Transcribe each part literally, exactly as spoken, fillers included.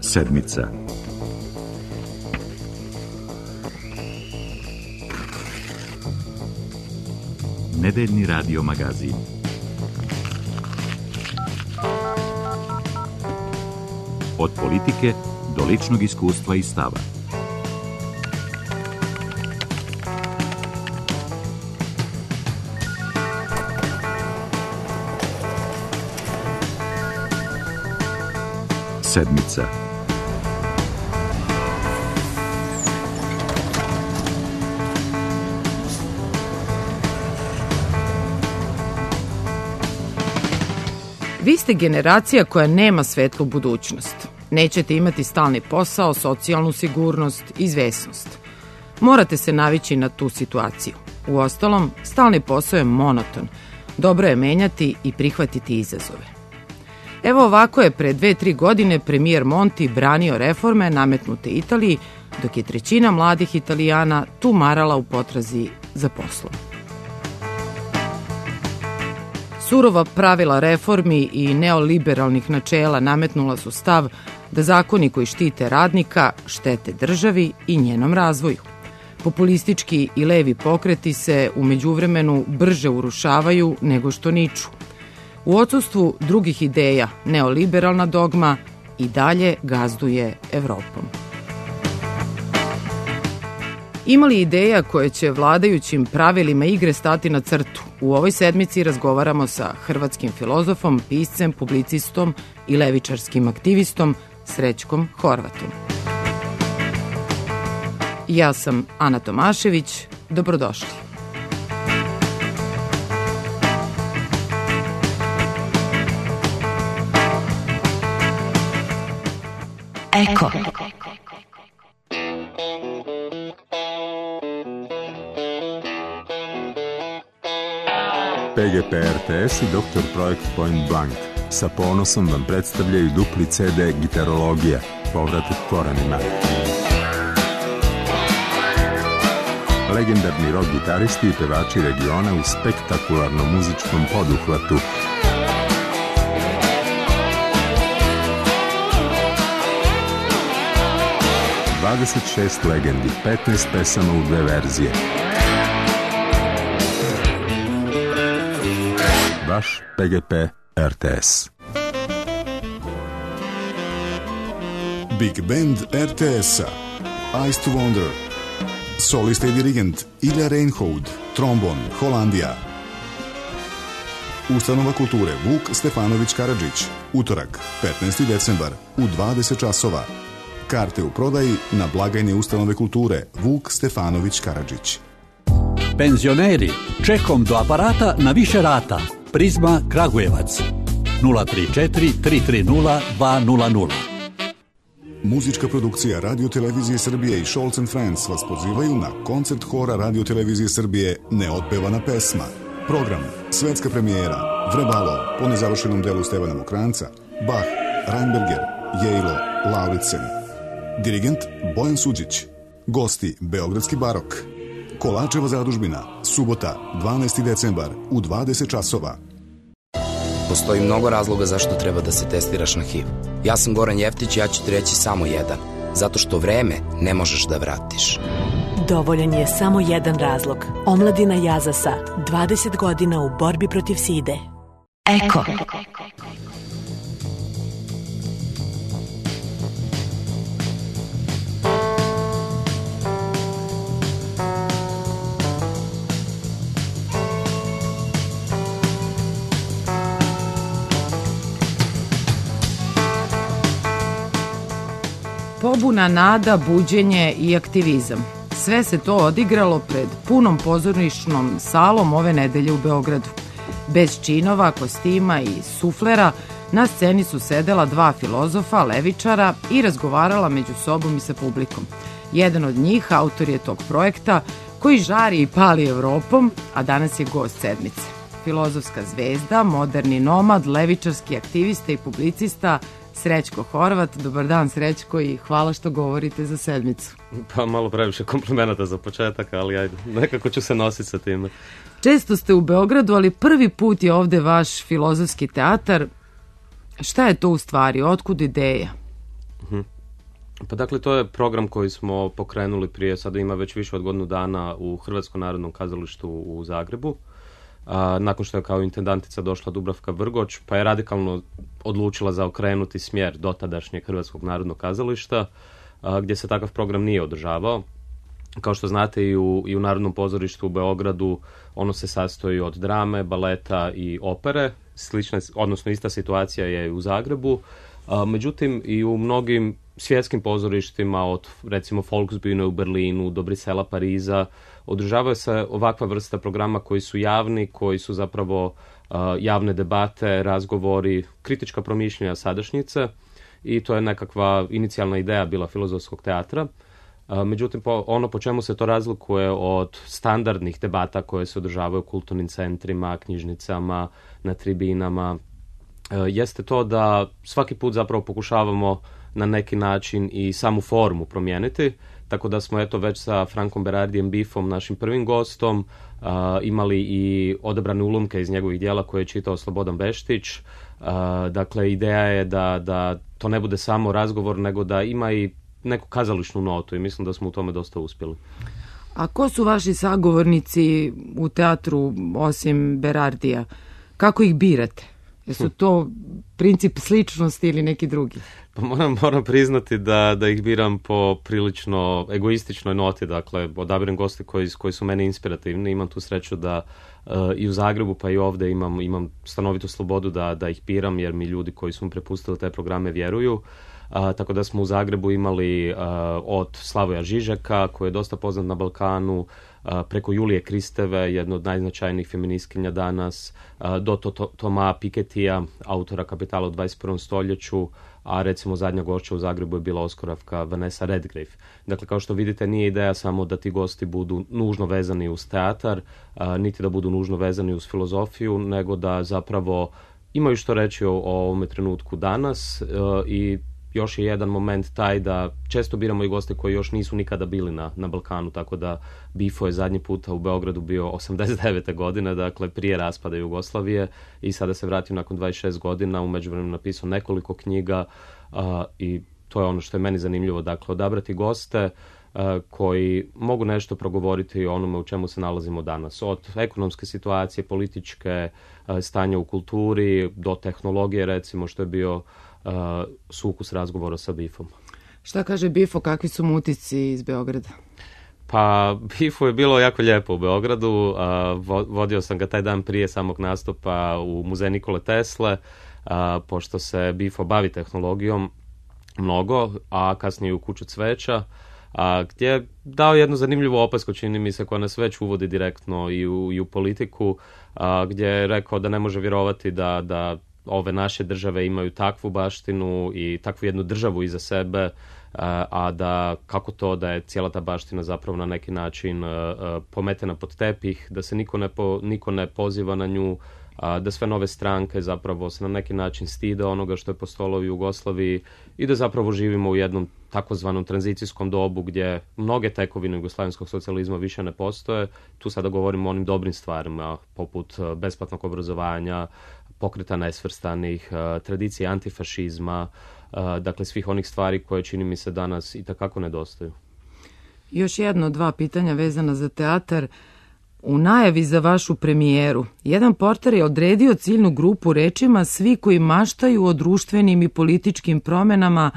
Sedmica. Nedeljni radio magazin. Od politike do ličnog iskustva i stava. Sedmica. Vi ste generacija koja nema svetlu budućnost. Nećete imati stalni posao, socijalnu sigurnost, izvesnost. Morate se navići na tu situaciju. Uostalom, stalni posao je monoton. Dobro je menjati i prihvatiti izazove. Evo ovako je pre dve, tri godine premijer Monti branio reforme nametnute Italiji, dok je trećina mladih Italijana tumarala u potrazi za poslom. Surova pravila reformi i neoliberalnih načela nametnula su stav da zakoni koji štite radnika štete državi i njenom razvoju. Populistički i levi pokreti se u međuvremenu brže urušavaju nego što niču. U odsustvu drugih ideja, neoliberalna dogma i dalje gazduje Evropom. Ima li ideja koje će vladajućim pravilima igre stati na crtu? U ovoj sedmici razgovaramo sa hrvatskim filozofom, piscem, publicistom i levičarskim aktivistom Srećkom Horvatom. Ja sam Ana Tomašević. Dobrodošli. Eko. P G P R T S i doktor Projekt Point Blank sa ponosom vam predstavljaju dupli C D Gitarologija, povratak korenima. Legendarni rock gitaristi i pevači regiona u spektakularnom muzičkom poduhvatu. dvadeset šest legendi, petnaest pesama u dve verzije. Vaš P G P R T S. Big Band R T S-a Eyes to Wonder. Solista i dirigent Ilja Reinhold, trombon, Holandija. Ustanova kulture Vuk Stefanović Karadžić. Utorak, petnaesti decembar u dvadeset časova. Karte u prodaji na blagajni Ustanove kulture Vuk Stefanović Karadžić. Penzioneri, čekom do aparata na više rata. Prizma Kragujevac. nula tri četiri tri tri nula dva nula nula. Muzička produkcija Radio Televizije Srbije i Scholz and Friends vas pozivaju na koncert hora Radio Televizije Srbije Neotpevana pesma. Program, svetska premijera, Vrebalo, po nezavršenom delu Stevana Mokranca, Bach, Reinberger, Jejlo, Lauritsen. Dirigent Bojan Suđić. Gosti Beogradski barok. Kolačeva zadužbina, subota, dvanaesti decembar u dvadeset časova. Postoji mnogo razloga zašto treba da se testiraš na H I V. Ja sam Goran Jeftić i ja ću ti reći samo jedan. Zato što vreme ne možeš da vratiš. Dovoljan je samo jedan razlog. Omladina Jazasa, dvadeset godina u borbi protiv side. Eko. Pobuna, nada, buđenje i aktivizam. Sve se to odigralo pred punom pozorničnom salom ove nedelje u Beogradu. Bez činova, kostima i suflera, na sceni su sedela dva filozofa, levičara i razgovarala među sobom i sa publikom. Jedan od njih, autor je tog projekta, koji žari i pali Evropom, a danas je gost sedmice. Filozofska zvezda, moderni nomad, levičarski aktivista i publicista Srećko Horvat. Dobar dan, Srećko, i hvala što govorite za sedmicu. Pa malo previše komplimenata za početak, ali ajde, nekako ću se nositi sa time. Često ste u Beogradu, ali prvi put je ovde vaš filozofski teatar. Šta je to u stvari? Otkud ideja? Mhm. Pa dakle, to je program koji smo pokrenuli prije, sada ima već više od godinu dana u Hrvatskom narodnom kazalištu u Zagrebu. A, nakon što je kao intendantica došla Dubravka Vrgoč, pa je radikalno odlučila zaokrenuti smjer dotadašnjeg Hrvatskog narodnog kazališta, a, gdje se takav program nije održavao. Kao što znate, i u, i u Narodnom pozorištu u Beogradu ono se sastoji od drame, baleta i opere. Slična, odnosno ista situacija je i u Zagrebu. A, međutim, i u mnogim svjetskim pozorištima, od recimo Volksbühne u Berlinu do Brisela, Pariza, održavaju se ovakva vrsta programa koji su javni, koji su zapravo uh, javne debate, razgovori, kritička promišljanja sadašnjice, i to je nekakva inicijalna ideja bila filozofskog teatra. Uh, međutim, po, ono po čemu se to razlikuje od standardnih debata koje se održavaju u kulturnim centrima, knjižnicama, na tribinama, uh, jeste to da svaki put zapravo pokušavamo na neki način i samu formu promijeniti, tako da smo eto već sa Frankom Berardijem Biffom, našim prvim gostom, uh, imali i odabrane ulomke iz njegovih dijela koje je čitao Slobodan Beštić. Uh, dakle, ideja je da, da to ne bude samo razgovor, nego da ima i neku kazališnu notu, i mislim da smo u tome dosta uspjeli. A ko su vaši sagovornici u teatru osim Berardija? Kako ih birate? Jesu to princip sličnosti ili neki drugi? Pa moram, moram priznati da, da ih biram po prilično egoističnoj noti, dakle odabirem goste koji, koji su meni inspirativni, imam tu sreću da uh, i u Zagrebu pa i ovdje imam, imam stanovitu slobodu da, da ih biram, jer mi ljudi koji su mi prepustili te programe vjeruju. Uh, tako da smo u Zagrebu imali uh, od Slavoja Žižeka, koji je dosta poznat na Balkanu, uh, preko Julije Kristeve, jedno od najznačajnijih feministkinja danas, uh, do to, to, Toma Piketija, autora Kapitala u dvadeset prvom stoljeću, a recimo zadnja gošća u Zagrebu je bila Oskoravka Vanessa Redgrave. Dakle, kao što vidite, nije ideja samo da ti gosti budu nužno vezani uz teatar, uh, niti da budu nužno vezani uz filozofiju, nego da zapravo imaju što reći o, o ovome trenutku danas, uh, i još je jedan moment taj da često biramo i goste koji još nisu nikada bili na, na Balkanu, tako da Bifo je zadnji puta u Beogradu bio osamdeset devete godine, dakle prije raspada Jugoslavije, i sada se vratio nakon dvadeset šest godina, u međuvremenu napisao nekoliko knjiga, uh, i to je ono što je meni zanimljivo, dakle odabrati goste uh, koji mogu nešto progovoriti o onome u čemu se nalazimo danas, od ekonomske situacije, političke, uh, stanja u kulturi, do tehnologije, recimo, što je bio Uh, sukus razgovora sa Bifom. Šta kaže Bifo, kakvi su mu utisci iz Beograda? Pa Bifu je bilo jako lijepo u Beogradu, uh, vo, vodio sam ga taj dan prije samog nastupa u muzej Nikole Tesle, uh, pošto se Bifo bavi tehnologijom mnogo, a kasnije u Kuću cveća, a, gdje je dao jednu zanimljivu opasku, čini mi se, koja nas već uvodi direktno i u, i u politiku, a, gdje je rekao da ne može vjerovati da, da ove naše države imaju takvu baštinu i takvu jednu državu iza sebe, a, a da kako to da je cijela ta baština zapravo na neki način a, a, pometena pod tepih, da se niko ne, po, niko ne poziva na nju, a, da sve nove stranke zapravo se na neki način stide onoga što je postojalo u Jugoslaviji i da zapravo živimo u jednom takozvanom tranzicijskom dobu gdje mnoge tekovine jugoslavenskog socijalizma više ne postoje. Tu sada govorimo o onim dobrim stvarima poput besplatnog obrazovanja, pokreta nesvrstanih, tradicije antifašizma, dakle svih onih stvari koje čini mi se danas itekako nedostaju. Još jedno, dva pitanja vezana za teatar. U najavi za vašu premijeru, jedan portar je odredio ciljnu grupu rečima svi koji maštaju o društvenim i političkim promenama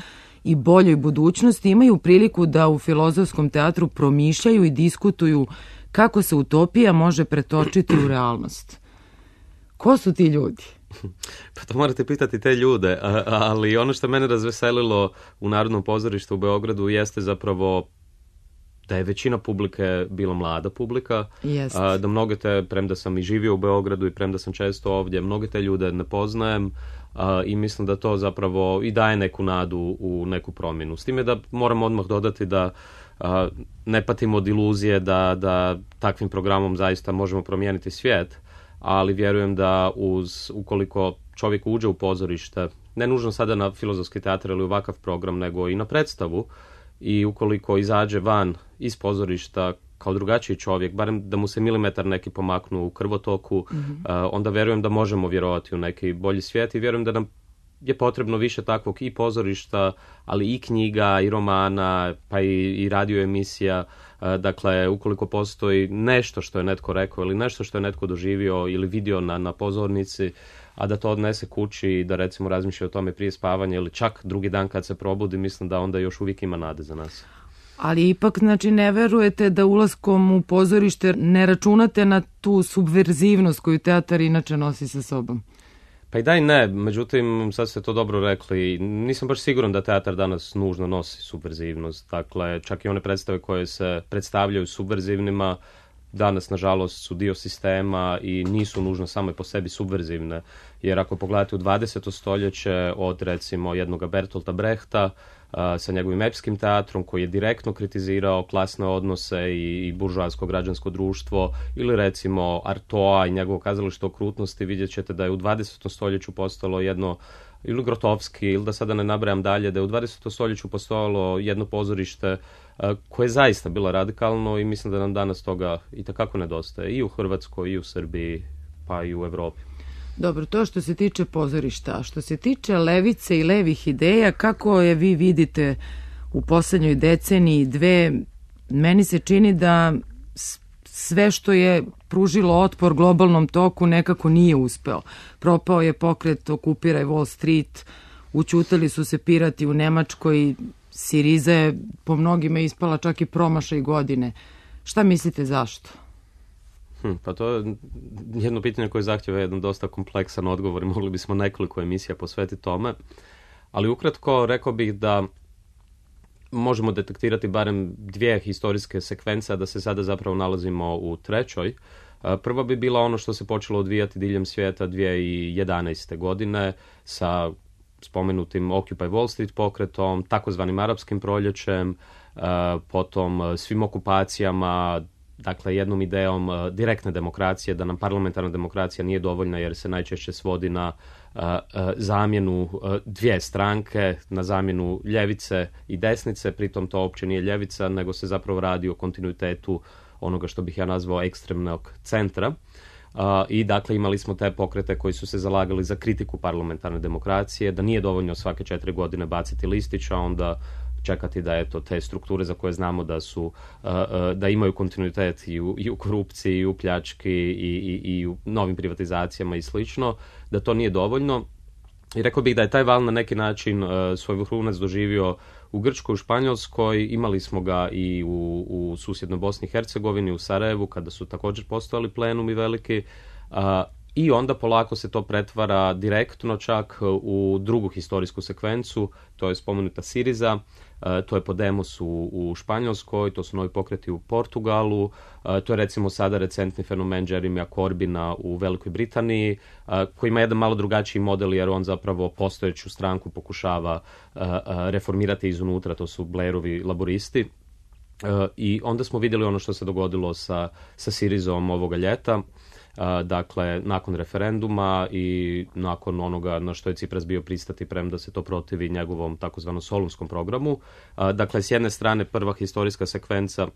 i boljoj budućnosti imaju priliku da u filozofskom teatru promišljaju i diskutuju kako se utopija može pretočiti u realnost. Ko su ti ljudi? Pa to morate pitati te ljude, ali ono što mene razveselilo u Narodnom pozorištu u Beogradu jeste zapravo da je većina publike bila mlada publika, a, da mnoge te, premda sam i živio u Beogradu i premda sam često ovdje, mnoge te ljude ne poznajem, a, i mislim da to zapravo i daje neku nadu u neku promjenu. S time da moram odmah dodati da a, ne patimo od iluzije da, da takvim programom zaista možemo promijeniti svijet, ali vjerujem da uz, ukoliko čovjek uđe u pozorište, ne nužno sada na filozofski teatar ili ovakav program, nego i na predstavu, i ukoliko izađe van iz pozorišta kao drugačiji čovjek, barem da mu se milimetar neki pomaknu u krvotoku, mm-hmm. uh, onda vjerujem da možemo vjerovati u neki bolji svijet i vjerujem da nam je potrebno više takvog i pozorišta, ali i knjiga, i romana, pa i, i radio emisija. Dakle, ukoliko postoji nešto što je netko rekao ili nešto što je netko doživio ili vidio na, na pozornici, a da to odnese kući i da recimo razmišlja o tome prije spavanja ili čak drugi dan kad se probudi, mislim da onda još uvijek ima nade za nas. Ali ipak, znači, ne verujete da ulaskom u pozorište ne računate na tu subverzivnost koju teatar inače nosi sa sobom? Pa i da i ne, međutim, sad ste to dobro rekli, nisam baš siguran da teatar danas nužno nosi subverzivnost. Dakle, čak i one predstave koje se predstavljaju subverzivnima, danas, nažalost, su dio sistema i nisu nužno same po sebi subverzivne. Jer ako pogledate u dvadeseto stoljeće od, recimo, jednog Bertolta Brehta, sa njegovim epskim teatrom koji je direktno kritizirao klasne odnose i, i buržoasko građansko društvo, ili recimo Artoa i njegovo kazalište okrutnosti, vidjet ćete da je u dvadesetom stoljeću postalo jedno, ili Grotovski, ili da sada ne nabrajam dalje, da je u dvadesetom stoljeću postojalo jedno pozorište koje je zaista bilo radikalno i mislim da nam danas toga itekako nedostaje i u Hrvatskoj, i u Srbiji, pa i u Evropi. Dobro, to što se tiče pozorišta. A što se tiče levice i levih ideja, kako je vi vidite u poslednjoj deceniji dve, meni se čini da sve što je pružilo otpor globalnom toku nekako nije uspeo. Propao je pokret Okupiraj Wall Street, učutali su se pirati u Nemačkoj, Siriza je po mnogima ispala čak i promašaj godine. Šta mislite zašto? Hm, pa to je jedno pitanje koje zahtjeva jedan dosta kompleksan odgovor i mogli bismo nekoliko emisija posvetiti tome. Ali ukratko rekao bih da možemo detektirati barem dvije historijske sekvence, a da se sada zapravo nalazimo u trećoj. Prva bi bila ono što se počelo odvijati diljem svijeta dvije tisuće jedanaeste. godine sa spomenutim Occupy Wall Street pokretom, takozvanim arapskim proljećem, potom svim okupacijama, dakle jednom idejom uh, direktne demokracije, da nam parlamentarna demokracija nije dovoljna jer se najčešće svodi na uh, uh, zamjenu uh, dvije stranke, na zamjenu ljevice i desnice, pritom to uopće nije ljevica, nego se zapravo radi o kontinuitetu onoga što bih ja nazvao ekstremnog centra. Uh, I dakle imali smo te pokrete koji su se zalagali za kritiku parlamentarne demokracije, da nije dovoljno svake četiri godine baciti listić, a onda čekati da eto te strukture za koje znamo da su uh, uh, da imaju kontinuitet i u, i u korupciji i u pljački i, i, i u novim privatizacijama i slično, da to nije dovoljno. I rekao bih da je taj val na neki način uh, svoj vrhunac doživio u Grčkoj, u Španjolskoj, imali smo ga i u, u susjednoj Bosni i Hercegovini, u Sarajevu, kada su također postojali plenumi veliki. Uh, I onda polako se to pretvara direktno čak u drugu historijsku sekvencu, to je spomenuta Siriza, to je Podemos u, u Španjolskoj, to su novi pokreti u Portugalu, to je recimo sada recentni fenomen Jeremya Corbina u Velikoj Britaniji, koji ima jedan malo drugačiji model jer on zapravo postojeću stranku pokušava reformirati iznutra, to su Blairovi laboristi. I onda smo vidjeli ono što se dogodilo sa, sa Sirizom ovoga ljeta. Uh, dakle, nakon referenduma i nakon onoga na što je Tsipras bio pristati premda se to protivi njegovom takozvanom Solunskom programu. Uh, dakle, s jedne strane prva historijska sekvenca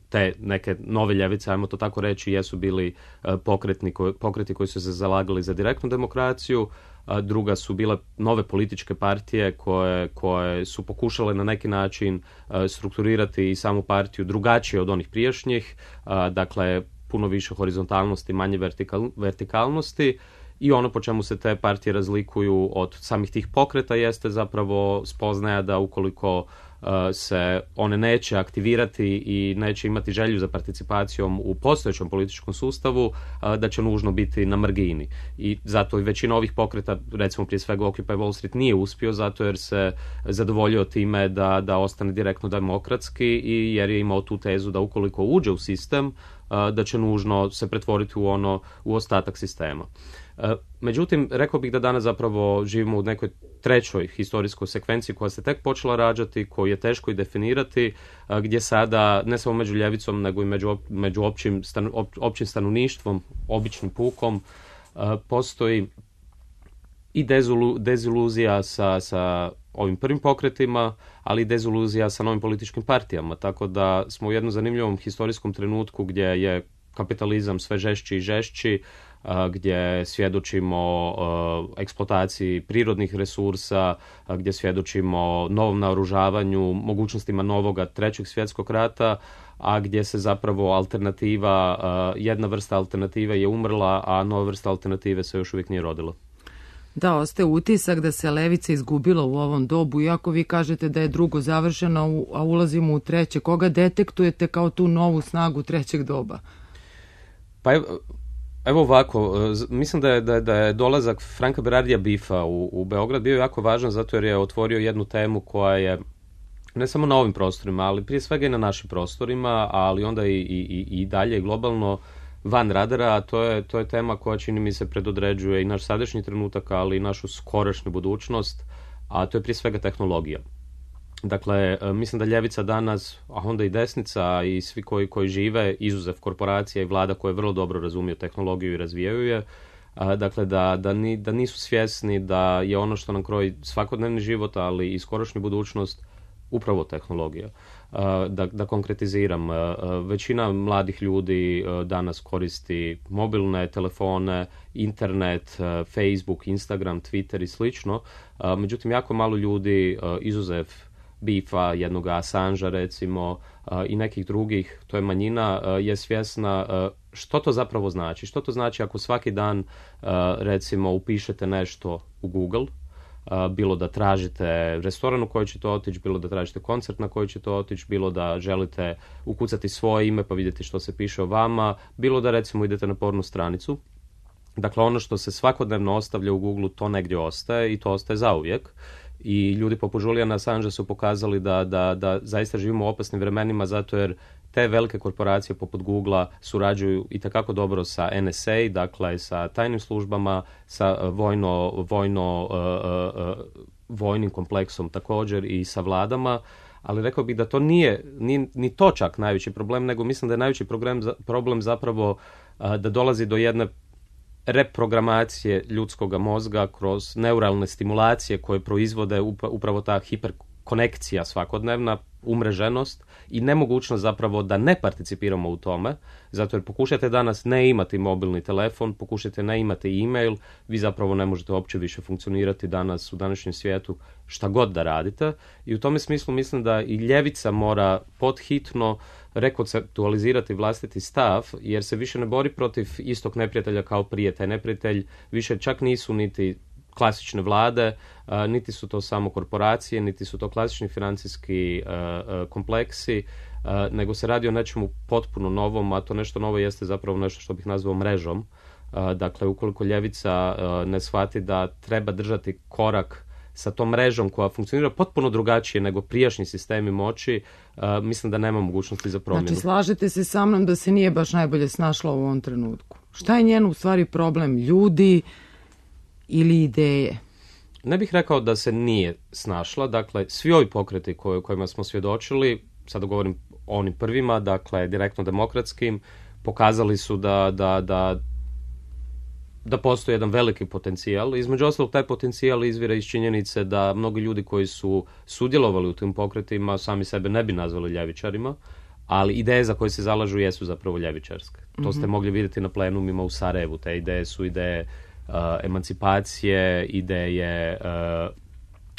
te neke nove ljevice, ajmo to tako reći, jesu bili uh, pokretni, ko, pokreti koji su se zalagali za direktnu demokraciju, uh, druga su bile nove političke partije koje, koje su pokušale na neki način uh, strukturirati i samu partiju drugačije od onih prijašnjih, uh, dakle, puno više horizontalnosti, manje vertikal, vertikalnosti i ono po čemu se te partije razlikuju od samih tih pokreta jeste zapravo spoznaja da ukoliko uh, se one neće aktivirati i neće imati želju za participacijom u postojećem političkom sustavu, uh, da će nužno biti na margini. I zato i većina ovih pokreta, recimo prije svega Occupy Wall Street, nije uspio zato jer se zadovoljio time da, da ostane direktno demokratski i jer je imao tu tezu da ukoliko uđe u sistem, da će nužno se pretvoriti u ono, u ostatak sistema. Međutim, rekao bih da danas zapravo živimo u nekoj trećoj historijskoj sekvenciji koja se tek počela rađati, koju je teško i definirati, gdje sada ne samo među ljevicom, nego i među, među općim, stan, općim stanovništvom, običnim pukom, postoji i dezulu, deziluzija sa, sa ovim prvim pokretima, ali i deziluzija sa novim političkim partijama. Tako da smo u jednom zanimljivom historijskom trenutku gdje je kapitalizam sve žešći i žešći, gdje svjedočimo eksploataciji prirodnih resursa, gdje svjedočimo novom naoružavanju, mogućnostima novoga trećeg svjetskog rata, a gdje se zapravo alternativa, jedna vrsta alternative je umrla, a nova vrsta alternative se još uvijek nije rodila. Da, ostaje utisak da se levica izgubila u ovom dobu, iako vi kažete da je drugo završeno, a ulazimo u treće. Koga detektujete kao tu novu snagu trećeg doba? Pa evo, evo ovako, mislim da je, da, da je dolazak Franka Berardija Biffa u, u Beograd bio jako važan zato jer je otvorio jednu temu koja je ne samo na ovim prostorima, ali prije svega i na našim prostorima, ali onda i, i, i dalje globalno van radara, a to je, to je tema koja čini mi se predodređuje i naš sadašnji trenutak, ali i našu skorašnju budućnost, a to je prije svega tehnologija. Dakle, mislim da ljevica danas, a onda i desnica i svi koji, koji žive, izuzev korporacija i vlada koje vrlo dobro razumiju tehnologiju i razvijaju je, dakle da, da, ni, da nisu svjesni da je ono što nam kroji svakodnevni život, ali i skorašnju budućnost, upravo tehnologija. Da, da konkretiziram, većina mladih ljudi danas koristi mobilne telefone, internet, Facebook, Instagram, Twitter i slično. Međutim, jako malo ljudi, izuzev Biffa, jednog Assangea recimo i nekih drugih, to je manjina, je svjesna što to zapravo znači. Što to znači ako svaki dan recimo upišete nešto u Google, bilo da tražite restoran u koji ćete otići, bilo da tražite koncert na koji ćete otići, bilo da želite ukucati svoje ime pa vidjeti što se piše o vama, bilo da recimo idete na pornu stranicu. Dakle, ono što se svakodnevno ostavlja u Google, to negdje ostaje i to ostaje zauvijek. I ljudi poput Juliana Assangea su pokazali da, da, da zaista živimo u opasnim vremenima zato jer te velike korporacije poput Googlea surađuju itekako dobro sa N S A, dakle sa tajnim službama, sa vojno, vojno, uh, uh, vojnim kompleksom također i sa vladama, ali rekao bih da to nije ni, ni to čak najveći problem, nego mislim da je najveći problem, problem zapravo uh, da dolazi do jedne reprogramacije ljudskog mozga kroz neuralne stimulacije koje proizvode upravo ta hiperkonekcija svakodnevna, umreženost i nemogućnost zapravo da ne participiramo u tome, zato jer pokušajte danas ne imati mobilni telefon, pokušajte ne imati e-mail, vi zapravo ne možete uopće više funkcionirati danas u današnjem svijetu šta god da radite i u tome smislu mislim da i ljevica mora podhitno rekonceptualizirati vlastiti stav, jer se više ne bori protiv istog neprijatelja kao prije. Taj neprijatelj više čak nisu niti klasične vlade, niti su to samo korporacije, niti su to klasični financijski kompleksi, nego se radi o nečemu potpuno novom, a to nešto novo jeste zapravo nešto što bih nazvao mrežom. Dakle, ukoliko ljevica ne shvati da treba držati korak sa tom mrežom koja funkcionira potpuno drugačije nego prijašnji sistemi moći, uh, mislim da nema mogućnosti za promjenu. Znači, slažete se sa mnom da se nije baš najbolje snašla u ovom trenutku. Šta je njen u stvari problem? Ljudi ili ideje? Ne bih rekao da se nije snašla. Dakle, svi ovi pokreti koje, kojima smo svjedočili, sada govorim o onim prvima, dakle, direktno demokratskim, pokazali su da, da, da da postoji jedan veliki potencijal. Između ostalog, taj potencijal izvire iz činjenice da mnogi ljudi koji su sudjelovali u tim pokretima sami sebe ne bi nazvali ljevičarima, ali ideje za koje se zalažu jesu zapravo ljevičarske. Mm-hmm. To ste mogli vidjeti na plenumima u Sarajevu. Te ideje su ideje uh, emancipacije, ideje uh,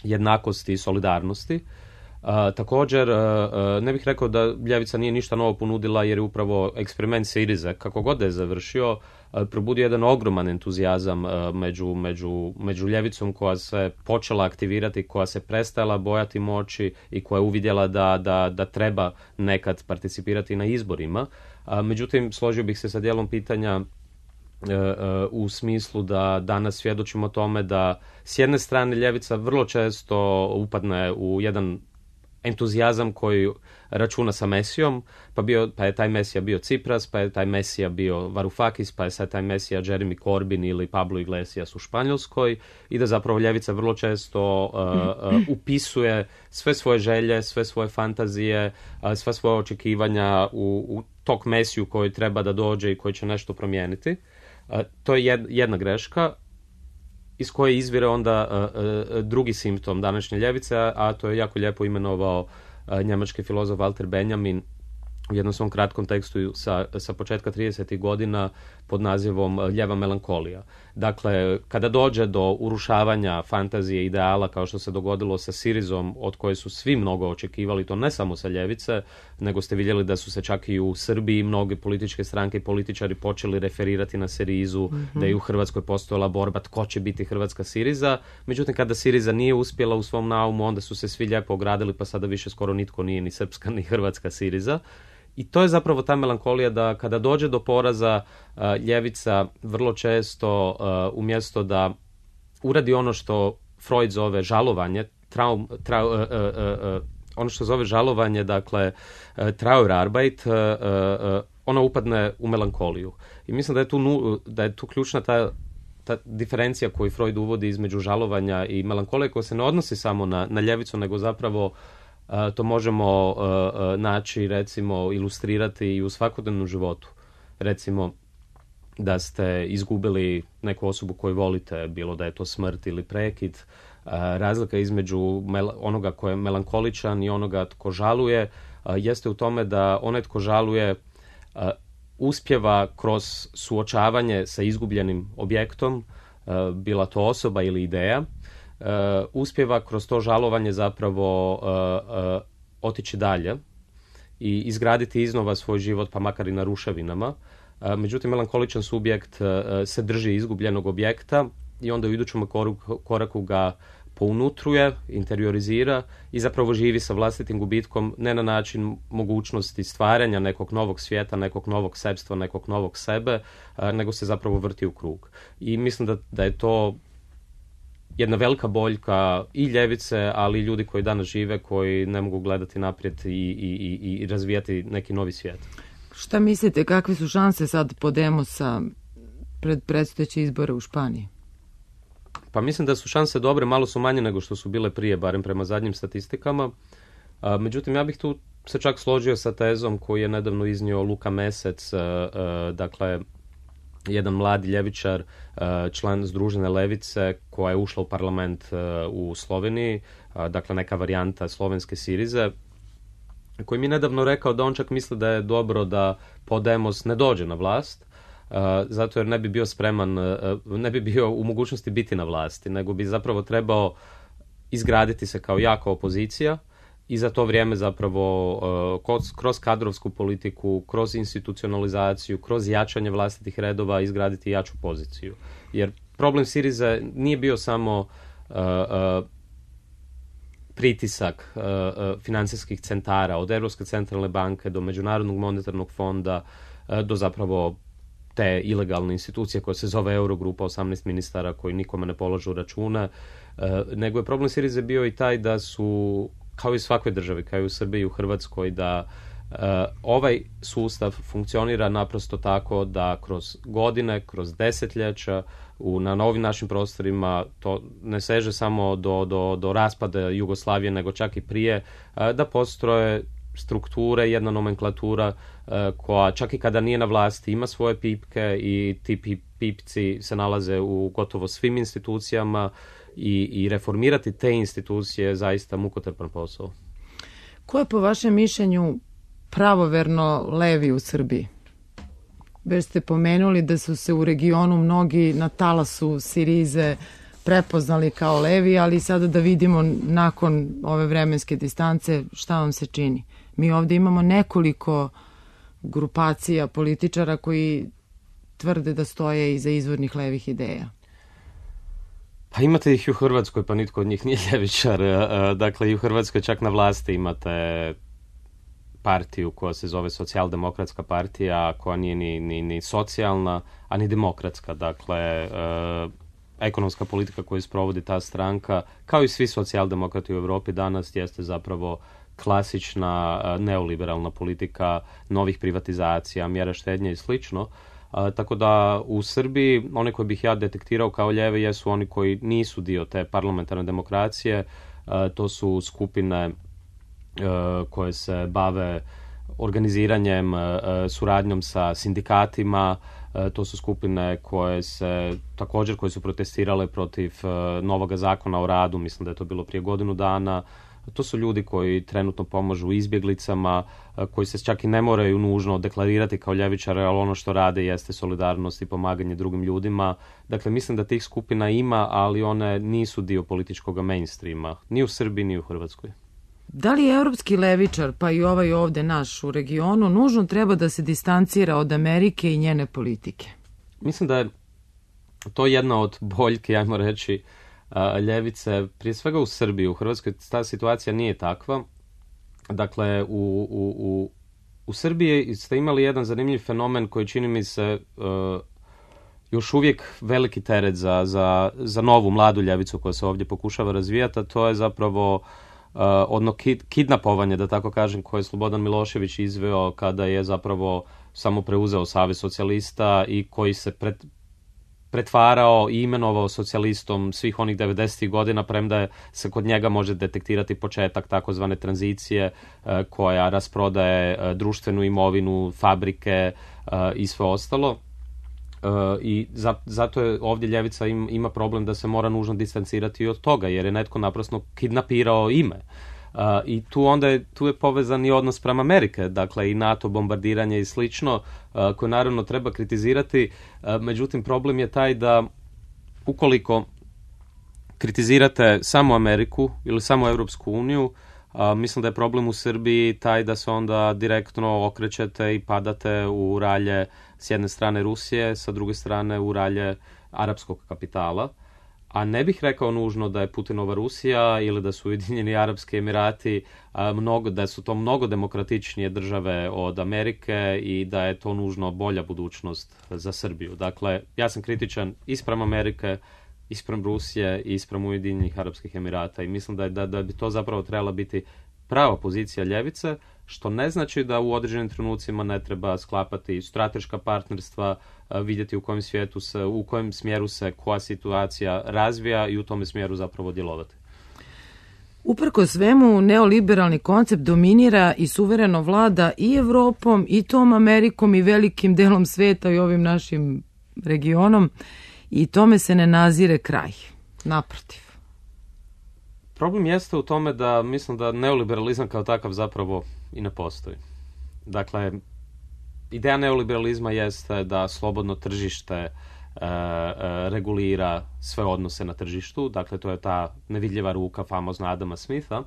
jednakosti i solidarnosti. Uh, također, uh, uh, ne bih rekao da ljevica nije ništa novo ponudila, jer je upravo eksperiment Sirize, kako god da je završio, uh, probudio jedan ogroman entuzijazam uh, među, među, među ljevicom koja se počela aktivirati, koja se prestala bojati moći i koja je uvidjela da, da, da treba nekad participirati na izborima. Uh, međutim, složio bih se sa dijelom pitanja uh, uh, u smislu da danas svjedočimo tome da s jedne strane ljevica vrlo često upadne u jedan entuzijazam koji računa sa Mesijom, pa, bio, pa je taj Mesija bio Tsipras, pa je taj Mesija bio Varoufakis, pa je sad taj Mesija Jeremy Corbyn ili Pablo Iglesias u Španjolskoj, i da zapravo ljevica vrlo često uh, uh, upisuje sve svoje želje, sve svoje fantazije, uh, sve svoje očekivanja u, u tog Mesiju koji treba da dođe i koji će nešto promijeniti. Uh, to je jed, jedna greška iz koje izvire onda uh, uh, drugi simptom današnje ljevice, a to je jako lijepo imenovao uh, njemački filozof Walter Benjamin u jednom svom kratkom tekstu sa, sa početka tridesetih godina pod nazivom Ljeva melankolija. Dakle, kada dođe do urušavanja fantazije, ideala, kao što se dogodilo sa Sirizom, od koje su svi mnogo očekivali, to ne samo sa ljevice, nego ste vidjeli da su se čak i u Srbiji mnoge političke stranke i političari počeli referirati na Sirizu, mm-hmm. da je u Hrvatskoj postojala borba tko će biti hrvatska Siriza. Međutim, kada Siriza nije uspjela u svom naumu, onda su se svi lijepo ogradili, pa sada više skoro nitko nije ni srpska ni hrvatska Siriza. I to je zapravo ta melankolija da kada dođe do poraza, uh, ljevica vrlo često uh, umjesto da uradi ono što Freud zove žalovanje, traum, trau, uh, uh, uh, ono što zove žalovanje, dakle uh, Trauerarbeit, uh, uh, ona upadne u melankoliju. I mislim da je tu, nu, da je tu ključna ta, ta diferencija koju Freud uvodi između žalovanja i melankolije, koja se ne odnosi samo na, na ljevicu, nego zapravo Uh, to možemo uh, uh, naći, recimo, ilustrirati i u svakodnevnom životu. Recimo, da ste izgubili neku osobu koju volite, bilo da je to smrt ili prekid. Uh, razlika između mel- onoga ko je melankoličan i onoga tko žaluje uh, jeste u tome da onaj tko žaluje uh, uspjeva kroz suočavanje sa izgubljenim objektom, uh, bila to osoba ili ideja, Uh, uspjeva kroz to žalovanje zapravo uh, uh, otići dalje i izgraditi iznova svoj život, pa makar i na ruševinama. Uh, međutim, melankoličan subjekt uh, se drži izgubljenog objekta i onda u idućem koraku, koraku ga pounutruje, interiorizira i zapravo živi sa vlastitim gubitkom, ne na način mogućnosti stvaranja nekog novog svijeta, nekog novog sebstva, nekog novog sebe, uh, nego se zapravo vrti u krug. I mislim da, da je to jedna velika boljka i ljevice, ali i ljudi koji danas žive, koji ne mogu gledati naprijed i, i, i, i razvijati neki novi svijet. Šta mislite, kakve su šanse sad Podemosa pred predstojeće izbore u Španiji? Pa mislim da su šanse dobre, malo su manje nego što su bile prije, barem prema zadnjim statistikama. A, međutim, ja bih tu se čak složio sa tezom koju je nedavno iznio Luka Mesec, a, a, dakle, jedan mladi ljevičar, član Združene levice, koja je ušla u parlament u Sloveniji, dakle neka varijanta slovenske Sirize, koji mi je nedavno rekao da on čak misli da je dobro da Podemos ne dođe na vlast, zato jer ne bi bio spreman, ne bi bio u mogućnosti biti na vlasti, nego bi zapravo trebao izgraditi se kao jaka opozicija i za to vrijeme zapravo uh, kroz kadrovsku politiku, kroz institucionalizaciju, kroz jačanje vlastitih redova izgraditi jaču poziciju. Jer problem Sirize nije bio samo uh, uh, pritisak uh, uh, financijskih centara, od Europske centralne banke do Međunarodnog monetarnog fonda, uh, do zapravo te ilegalne institucije koja se zove Eurogrupa, osamnaest ministara koji nikome ne polažu račune, uh, nego je problem Sirize bio i taj da su, kao i u svakoj državi, kao i u Srbiji i u Hrvatskoj, da uh, ovaj sustav funkcionira naprosto tako da kroz godine, kroz desetljeća, u, na novim našim prostorima, to ne seže samo do, do, do raspada Jugoslavije, nego čak i prije, uh, da postroje strukture, jedna nomenklatura uh, koja čak i kada nije na vlasti ima svoje pipke i ti pip, pipci se nalaze u gotovo svim institucijama. I, i reformirati te institucije je zaista mukotrpan posao. Ko je po vašem mišljenju pravoverno levi u Srbiji? Već ste pomenuli da su se u regionu mnogi na talasu Sirize prepoznali kao levi, ali sada da vidimo nakon ove vremenske distance šta vam se čini. Mi ovdje imamo nekoliko grupacija političara koji tvrde da stoje iza izvornih levih ideja. Pa imate ih i u Hrvatskoj, pa nitko od njih nije ljevičar. Dakle, i u Hrvatskoj čak na vlasti imate partiju koja se zove Socijaldemokratska partija, koja nije ni, ni, ni socijalna, a ni demokratska. Dakle, ekonomska politika koju sprovodi ta stranka, kao i svi socijaldemokrati u Europi danas, jeste zapravo klasična neoliberalna politika novih privatizacija, mjera štednje i slično. Uh, tako da u Srbiji one koje bih ja detektirao kao lijeve jesu oni koji nisu dio te parlamentarne demokracije. Uh, to su skupine uh, koje se bave organiziranjem, uh, suradnjom sa sindikatima. Uh, to su skupine koje se također koje su protestirale protiv uh, novoga zakona o radu, mislim da je to bilo prije godinu dana. To su ljudi koji trenutno pomažu izbjeglicama, koji se čak i ne moraju nužno deklarirati kao ljevičare, ali ono što rade jeste solidarnost i pomaganje drugim ljudima. Dakle, mislim da tih skupina ima, ali one nisu dio političkog mainstreama, ni u Srbiji, ni u Hrvatskoj. Da li je evropski levičar, pa i ovaj ovde naš u regionu, nužno treba da se distancira od Amerike i njene politike? Mislim da je to jedna od boljke, ajmo reći, ljevice, prije svega u Srbiji. U Hrvatskoj ta situacija nije takva. Dakle, u, u, u, u Srbiji ste imali jedan zanimljiv fenomen koji čini mi se uh, još uvijek veliki teret za, za, za novu mladu ljevicu koja se ovdje pokušava razvijati, a to je zapravo uh, odno kid, kidnapovanje, da tako kažem, koje je Slobodan Milošević izveo kada je zapravo samo preuzeo Savez socijalista i koji se pred, pretvarao i imenovao socijalistom svih onih devedesetih godina, premda je se kod njega može detektirati početak takozvane tranzicije uh, koja rasprodaje uh, društvenu imovinu, fabrike uh, i sve ostalo. Uh, i za, zato je ovdje ljevica im, ima problem da se mora nužno distancirati od toga, jer je netko naprosto kidnapirao ime. Uh, I tu onda je, tu je povezan i odnos prema Amerike, dakle i NATO bombardiranje i slično, uh, koje naravno treba kritizirati, uh, međutim problem je taj da ukoliko kritizirate samo Ameriku ili samo Europsku uniju, Uh, mislim da je problem u Srbiji taj da se onda direktno okrećete i padate u ralje s jedne strane Rusije, sa druge strane u ralje arapskog kapitala. A ne bih rekao nužno da je Putinova Rusija ili da su Ujedinjeni Arapski Emirati a, mnogo, da su to mnogo demokratičnije države od Amerike i da je to nužno bolja budućnost za Srbiju. Dakle, ja sam kritičan ispram Amerike, ispram Rusije i ispram Ujedinjenih Arapskih Emirata i mislim da, je, da, da bi to zapravo trebala biti prava pozicija ljevice, što ne znači da u određenim trenucima ne treba sklapati strateška partnerstva, vidjeti u kojem svijetu se, u kojem smjeru se koja situacija razvija i u tome smjeru zapravo djelovati. Uprko svemu, neoliberalni koncept dominira i suvereno vlada i Evropom, i tom Amerikom, i velikim delom sveta i ovim našim regionom, i tome se ne nazire kraj. Naprotiv. Problem jeste u tome da mislim da neoliberalizam kao takav zapravo i ne postoji. Dakle, ideja neoliberalizma jeste da slobodno tržište e, e, regulira sve odnose na tržištu. Dakle, to je ta nevidljiva ruka famozna Adama Smitha.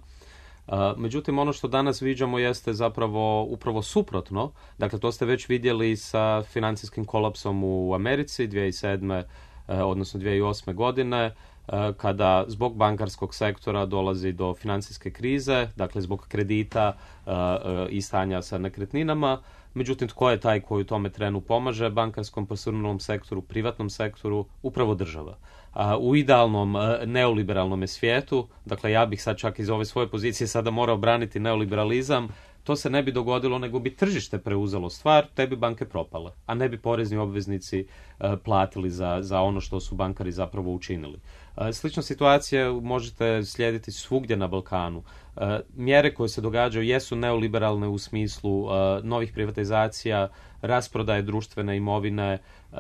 Uh, međutim, ono što danas viđamo jeste zapravo upravo suprotno. Dakle, to ste već vidjeli sa financijskim kolapsom u Americi dvije tisuće sedme. Uh, odnosno dvije tisuće osme. godine, uh, kada zbog bankarskog sektora dolazi do financijske krize, dakle zbog kredita uh, uh, i stanja sa nekretninama. Međutim, tko je taj koji u tome trenu pomaže bankarskom posrnulom sektoru, privatnom sektoru? Upravo država. A u idealnom neoliberalnom svijetu, dakle ja bih sad čak iz ove svoje pozicije sada morao braniti neoliberalizam, to se ne bi dogodilo, nego bi tržište preuzelo stvar, te bi banke propale, a ne bi porezni obveznici uh, platili za, za ono što su bankari zapravo učinili. Uh, slična situacija možete slijediti svugdje na Balkanu. Uh, mjere koje se događaju jesu neoliberalne u smislu uh, novih privatizacija, rasprodaje društvene imovine, uh,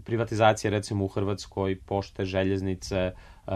privatizacije recimo u Hrvatskoj, pošte, željeznice, uh,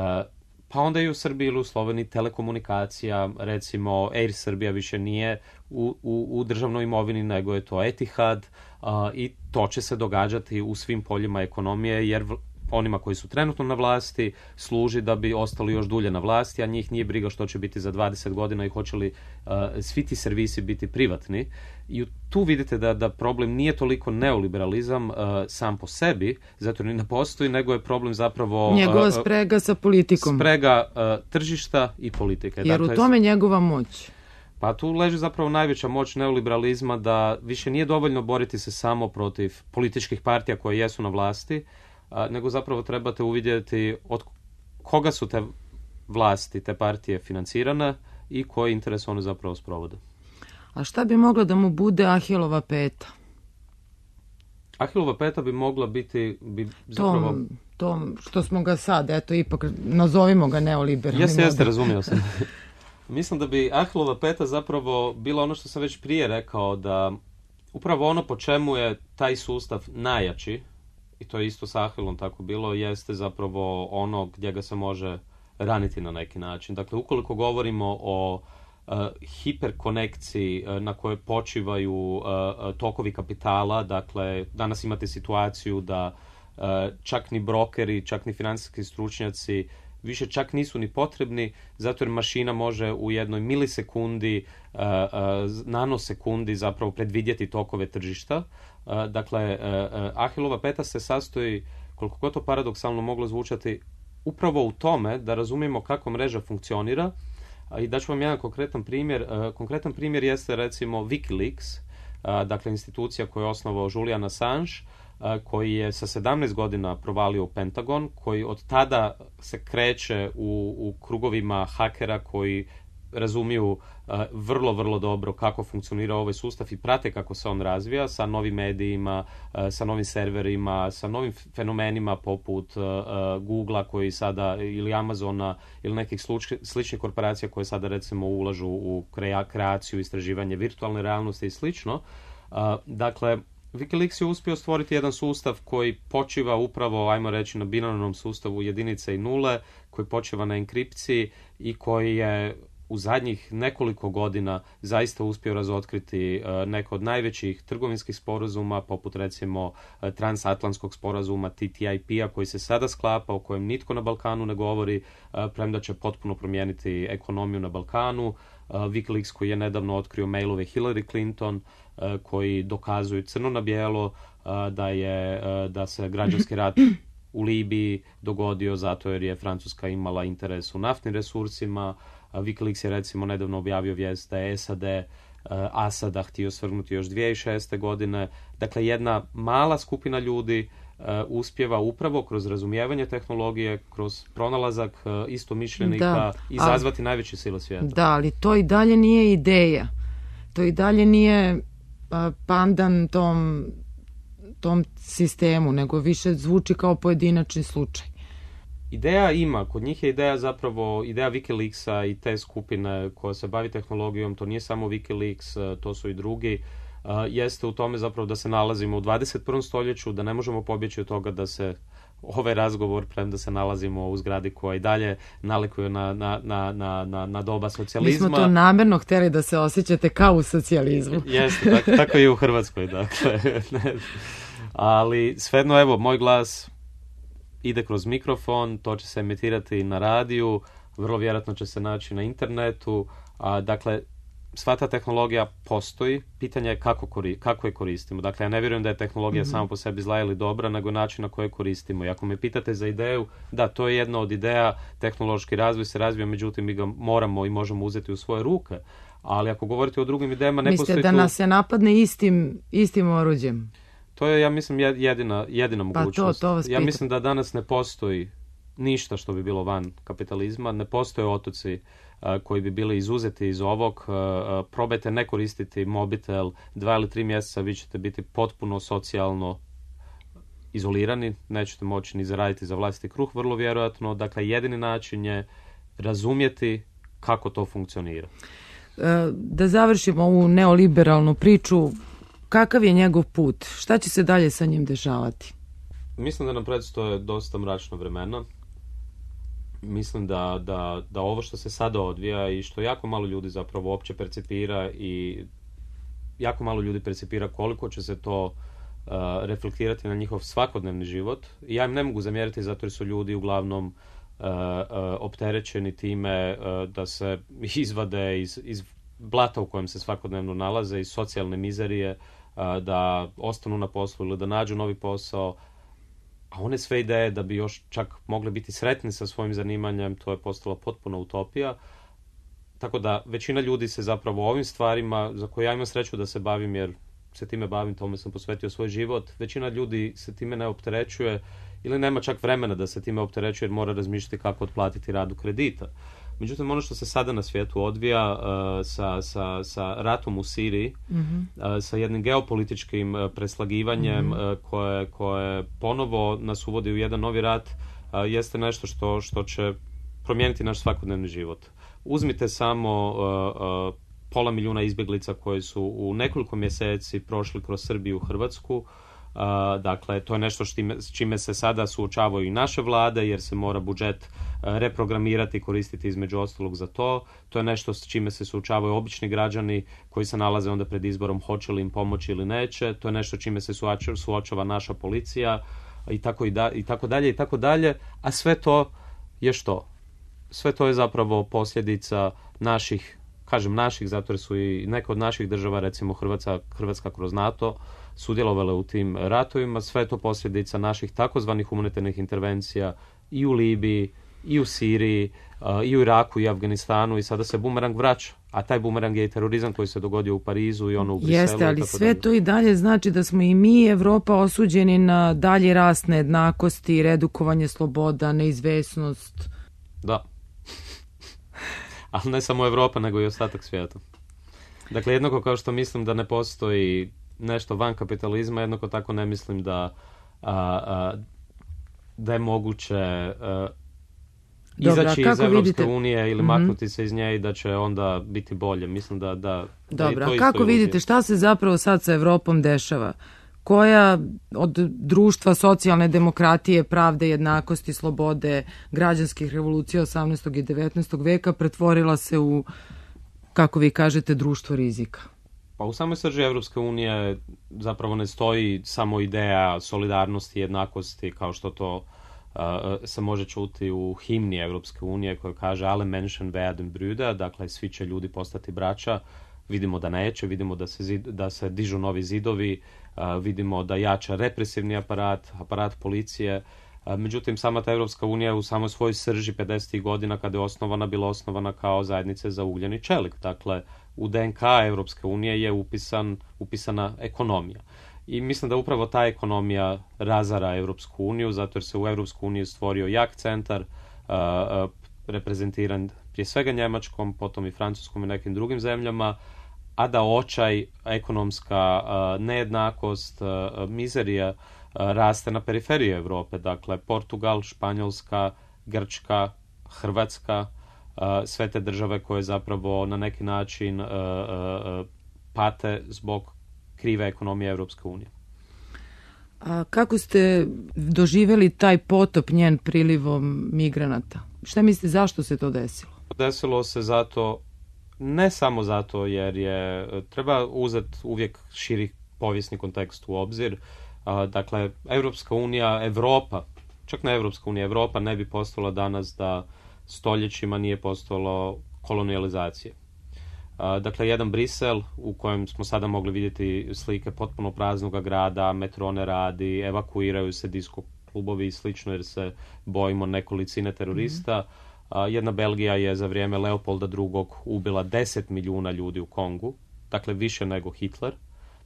pa onda i u Srbiji ili u Sloveniji telekomunikacija, recimo Air Srbija više nije u, u, u državnoj imovini, nego je to Etihad uh, i to će se događati u svim poljima ekonomije, jer v, onima koji su trenutno na vlasti služi da bi ostali još dulje na vlasti, a njih nije briga što će biti za dvadeset godina i hoće li uh, svi ti servisi biti privatni. I tu vidite da, da problem nije toliko neoliberalizam uh, sam po sebi, zato ni ne postoji, nego je problem zapravo njegova sprega sa politikom. Sprega uh, tržišta i politike. Jer dakle, u tome njegova moć. Pa tu leži zapravo najveća moć neoliberalizma, da više nije dovoljno boriti se samo protiv političkih partija koje jesu na vlasti, a, nego zapravo trebate uvidjeti od koga su te vlasti, te partije financirane i koje interese one zapravo sprovode. A šta bi mogla da mu bude Ahilova peta? Ahilova peta bi mogla biti bi zapravo... Tom, tom što smo ga sad, eto, ipak nazovimo ga neoliberalnim. Jeste, jeste, razumio sam. Mislim da bi Ahilova peta zapravo bila ono što sam već prije rekao, da upravo ono po čemu je taj sustav najjači, i to je isto s Ahilom tako bilo, jeste zapravo ono gdje ga se može raniti na neki način. Dakle, ukoliko govorimo o uh, hiperkonekciji uh, na kojoj počivaju uh, tokovi kapitala, dakle, danas imate situaciju da uh, čak ni brokeri, čak ni financijski stručnjaci više čak nisu ni potrebni, zato jer mašina može u jednoj milisekundi, uh, uh, nanosekundi zapravo predvidjeti tokove tržišta. Uh, dakle, uh, uh, Ahilova peta se sastoji, koliko god to paradoksalno moglo zvučati, upravo u tome da razumijemo kako mreža funkcionira. I daću vam jedan konkretan primjer. Uh, konkretan primjer jeste recimo Wikileaks, uh, dakle institucija koju je osnovao Julian Assange, koji je sa sedamnaest godina provalio u Pentagon, koji od tada se kreće u, u krugovima hakera koji razumiju uh, vrlo, vrlo dobro kako funkcionira ovaj sustav i prate kako se on razvija sa novim medijima, uh, sa novim serverima, sa novim fenomenima poput uh, uh, Googlea koji sada, ili Amazona, ili nekih sluč, sličnih korporacija koje sada recimo ulažu u krea, kreaciju, istraživanje virtualne realnosti i slično. Uh, dakle, Wikileaks je uspio stvoriti jedan sustav koji počiva upravo, ajmo reći, na binarnom sustavu jedinice i nule, koji počiva na enkripciji i koji je u zadnjih nekoliko godina zaista uspio razotkriti uh, neko od najvećih trgovinskih sporazuma, poput recimo uh, transatlantskog sporazuma T T I P-a koji se sada sklapa, o kojem nitko na Balkanu ne govori, uh, premda će potpuno promijeniti ekonomiju na Balkanu. Uh, Wikileaks koji je nedavno otkrio mailove Hillary Clinton, uh, koji dokazuju crno na bijelo uh, da, je, uh, da se građanski rat u Libiji dogodio zato jer je Francuska imala interes u naftnim resursima. Wikileaks je recimo nedavno objavio vijest da je S A D uh, Asada htio svrgnuti još dvije tisuće šeste. godine. Dakle, jedna mala skupina ljudi uh, uspjeva upravo kroz razumijevanje tehnologije, kroz pronalazak uh, istomišljenika da, izazvati ali, najveće sile svijeta. Da, ali to i dalje nije ideja. To i dalje nije uh, pandan tom, tom sistemu, nego više zvuči kao pojedinačni slučaj. Ideja ima, kod njih je ideja zapravo, ideja Wikileaksa i te skupine koja se bavi tehnologijom, to nije samo Wikileaks, to su i drugi, uh, jeste u tome zapravo da se nalazimo u dvadeset prvom stoljeću, da ne možemo pobjeći od toga da se ovaj razgovor, premda se nalazimo u zgradi koja i dalje nalikuje na, na, na, na, na doba socijalizma. Mi smo to namjerno htjeli da se osjećate kao u socijalizmu. Jeste, tako, tako i u Hrvatskoj, dakle. Ali svejedno, evo, moj glas ide kroz mikrofon, to će se emitirati na radiju, vrlo vjerojatno će se naći na internetu, a, dakle, sva ta tehnologija postoji, pitanje je kako, kori, kako je koristimo. Dakle, ja ne vjerujem da je tehnologija mm-hmm. sama po sebi zla ili dobra, nego način na koje koristimo. I ako me pitate za ideju, da, to je jedna od ideja, tehnološki razvoj se razvija, međutim, mi ga moramo i možemo uzeti u svoje ruke. Ali ako govorite o drugim idejama, ne postoji tu... Mislite da nas se napadne istim, istim oruđem? To je, ja mislim, jedina, jedina mogućnost. Pa to, to vas ja mislim da danas ne postoji ništa što bi bilo van kapitalizma, ne postoje otoci uh, koji bi bili izuzeti iz ovog. Uh, uh, probajte ne koristiti mobitel dva ili tri mjeseca, vi ćete biti potpuno socijalno izolirani, nećete moći ni zaraditi za vlastiti kruh, vrlo vjerojatno. Dakle, jedini način je razumjeti kako to funkcionira. Uh, da završimo ovu neoliberalnu priču, kakav je njegov put? Šta će se dalje sa njim dešavati? Mislim da nam predstoje dosta mračna vremena. Mislim da, da, da ovo što se sada odvija i što jako malo ljudi zapravo uopće percipira i jako malo ljudi percipira koliko će se to uh, reflektirati na njihov svakodnevni život. I ja im ne mogu zamjeriti zato jer su ljudi uglavnom uh, uh, opterećeni time uh, da se izvade iz, iz blata u kojem se svakodnevno nalaze, iz socijalne mizerije, da ostanu na poslu ili da nađu novi posao, a one sve ideje da bi još čak mogli biti sretni sa svojim zanimanjem, to je postala potpuna utopija. Tako da većina ljudi se zapravo ovim stvarima, za koje ja imam sreću da se bavim jer se time bavim, tome sam posvetio svoj život, većina ljudi se time ne opterećuje ili nema čak vremena da se time opterećuje jer mora razmišljati kako otplatiti radu kredita. Međutim, ono što se sada na svijetu odvija uh, sa, sa, sa ratom u Siriji, mm-hmm. uh, sa jednim geopolitičkim uh, preslagivanjem mm-hmm. uh, koje, koje ponovo nas uvodi u jedan novi rat, uh, jeste nešto što, što će promijeniti naš svakodnevni život. Uzmite samo uh, uh, pola milijuna izbjeglica koji su u nekoliko mjeseci prošli kroz Srbiju u Hrvatsku. Uh, dakle, to je nešto štime, s čime se sada suočavaju i naše vlade, jer se mora budžet uh, reprogramirati i koristiti između ostalog za to. To je nešto s čime se suočavaju obični građani koji se nalaze onda pred izborom hoće li im pomoći ili neće. To je nešto čime se suočava, suočava naša policija i tako, i, da, i tako dalje i tako dalje. A sve to je što? Sve to je zapravo posljedica naših, kažem naših, zato jer su i neke od naših država, recimo Hrvatska, Hrvatska kroz NATO, sudjelovale u tim ratovima. Sve je to posljedica naših takozvanih humanitarnih intervencija i u Libiji, i u Siriji, uh, i u Iraku, i Afganistanu, i sada se bumerang vraća. A taj bumerang je i terorizam koji se dogodio u Parizu i ono u Briselu. Jeste, ali sve to i dalje znači da smo i mi, Evropa, osuđeni na dalji rast nejednakosti, redukovanje sloboda, neizvesnost. Da. Ali ne samo Evropa, nego i ostatak svijeta. Dakle, jednako kao što mislim da ne postoji nešto van kapitalizma, jednako tako ne mislim da, a, a, da je moguće a, izaći Dobra, iz Evropske vidite? unije ili mm-hmm. maknuti se iz nje i da će onda biti bolje. Mislim da... da Dobra, da kako vidite šta se zapravo sad sa Evropom dešava? Koja od društva socijalne demokratije, pravde, jednakosti, slobode, građanskih revolucija osamnaestog i devetnaestog veka pretvorila se u, kako vi kažete, društvo rizika? Pa u samoj srži Evropske unije zapravo ne stoji samo ideja solidarnosti i jednakosti kao što to uh, se može čuti u himni Evropske unije koja kaže alle Menschen werden Brüder, dakle svi će ljudi postati braća. Vidimo da neće, vidimo da se, zid, da se dižu novi zidovi, uh, vidimo da jača represivni aparat, aparat policije. Uh, međutim, sama ta Evropska unija u samoj svojoj srži pedesetih godina kada je osnovana, bila osnovana kao zajednice za ugljen i čelik. Dakle, u D N K Evropske unije je upisan, upisana ekonomija. I mislim da upravo ta ekonomija razara Evropsku uniju, zato jer se u Evropsku uniju stvorio jak centar, uh, uh, reprezentiran prije svega Njemačkom, potom i Francuskom i nekim drugim zemljama, a da očaj, ekonomska uh, nejednakost, uh, mizerija uh, raste na periferiji Europe. Dakle, Portugal, Španjolska, Grčka, Hrvatska, uh, sve te države koje zapravo na neki način uh, uh, pate zbog krive ekonomije Evropske unije. A kako ste doživjeli taj potop njen prilivom migranata? Šta mislite, zašto se to desilo? Desilo se zato, ne samo zato jer je, treba uzeti uvijek širi povijesni kontekst u obzir. Dakle, Evropska unija, Evropa, čak ne Evropska unija, Evropa ne bi postojala danas da stoljećima nije postojalo kolonijalizacije. Dakle, jedan Brisel u kojem smo sada mogli vidjeti slike potpuno praznog grada, metro ne radi, evakuiraju se disko klubovi i slično jer se bojimo nekolicine terorista. Mm-hmm. Jedna Belgija je za vrijeme Leopolda drugog ubila deset milijuna ljudi u Kongu, dakle više nego Hitler,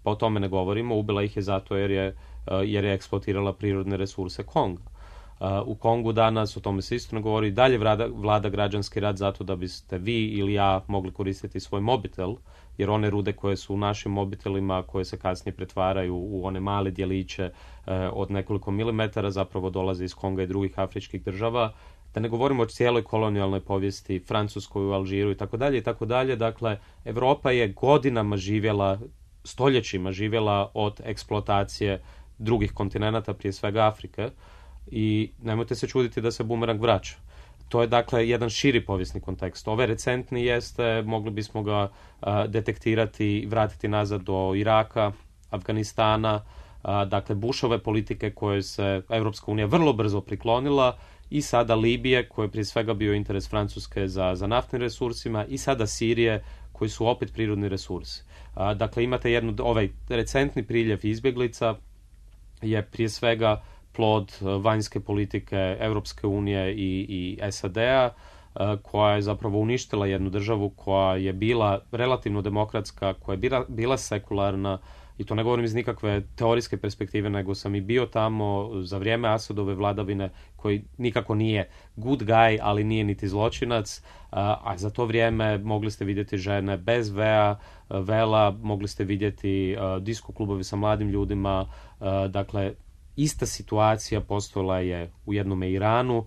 pa o tome ne govorimo. Ubila ih je zato jer je, jer je eksploatirala prirodne resurse Konga. U Kongu danas, o tome se isto ne govori, dalje vlada, vlada građanski rat zato da biste vi ili ja mogli koristiti svoj mobitel, jer one rude koje su u našim mobitelima, koje se kasnije pretvaraju u one male djeliće eh, od nekoliko milimetara, zapravo dolaze iz Konga i drugih afričkih država. Da ne govorimo o cijeloj kolonijalnoj povijesti, Francuskoj, u Alžiru i tako dalje i tako dalje. Dakle, Evropa je godinama živjela, stoljećima živjela od eksploatacije drugih kontinenata, prije svega Afrike. I nemojte se čuditi da se bumerang vraća. To je dakle jedan širi povijesni kontekst. Ove recentni jeste, mogli bismo ga uh, detektirati i vratiti nazad do Iraka, Afganistana, uh, dakle Bushove politike koje se Evropska unija vrlo brzo priklonila, i sada Libije, koje je prije svega bio interes Francuske za, za naftnim resursima, i sada Sirije, koji su opet prirodni resursi. Uh, dakle, imate jednu, ovaj recentni priljev izbjeglica je prije svega plod vanjske politike Evropske unije i, i S A D-a, koja je zapravo uništila jednu državu koja je bila relativno demokratska, koja je bila, bila sekularna, i to ne govorim iz nikakve teorijske perspektive, nego sam i bio tamo za vrijeme Asadove vladavine, koji nikako nije good guy, ali nije niti zločinac, a za to vrijeme mogli ste vidjeti žene bez vea, vela, mogli ste vidjeti disko klubovi sa mladim ljudima, dakle, ista situacija postojala je u jednom Iranu,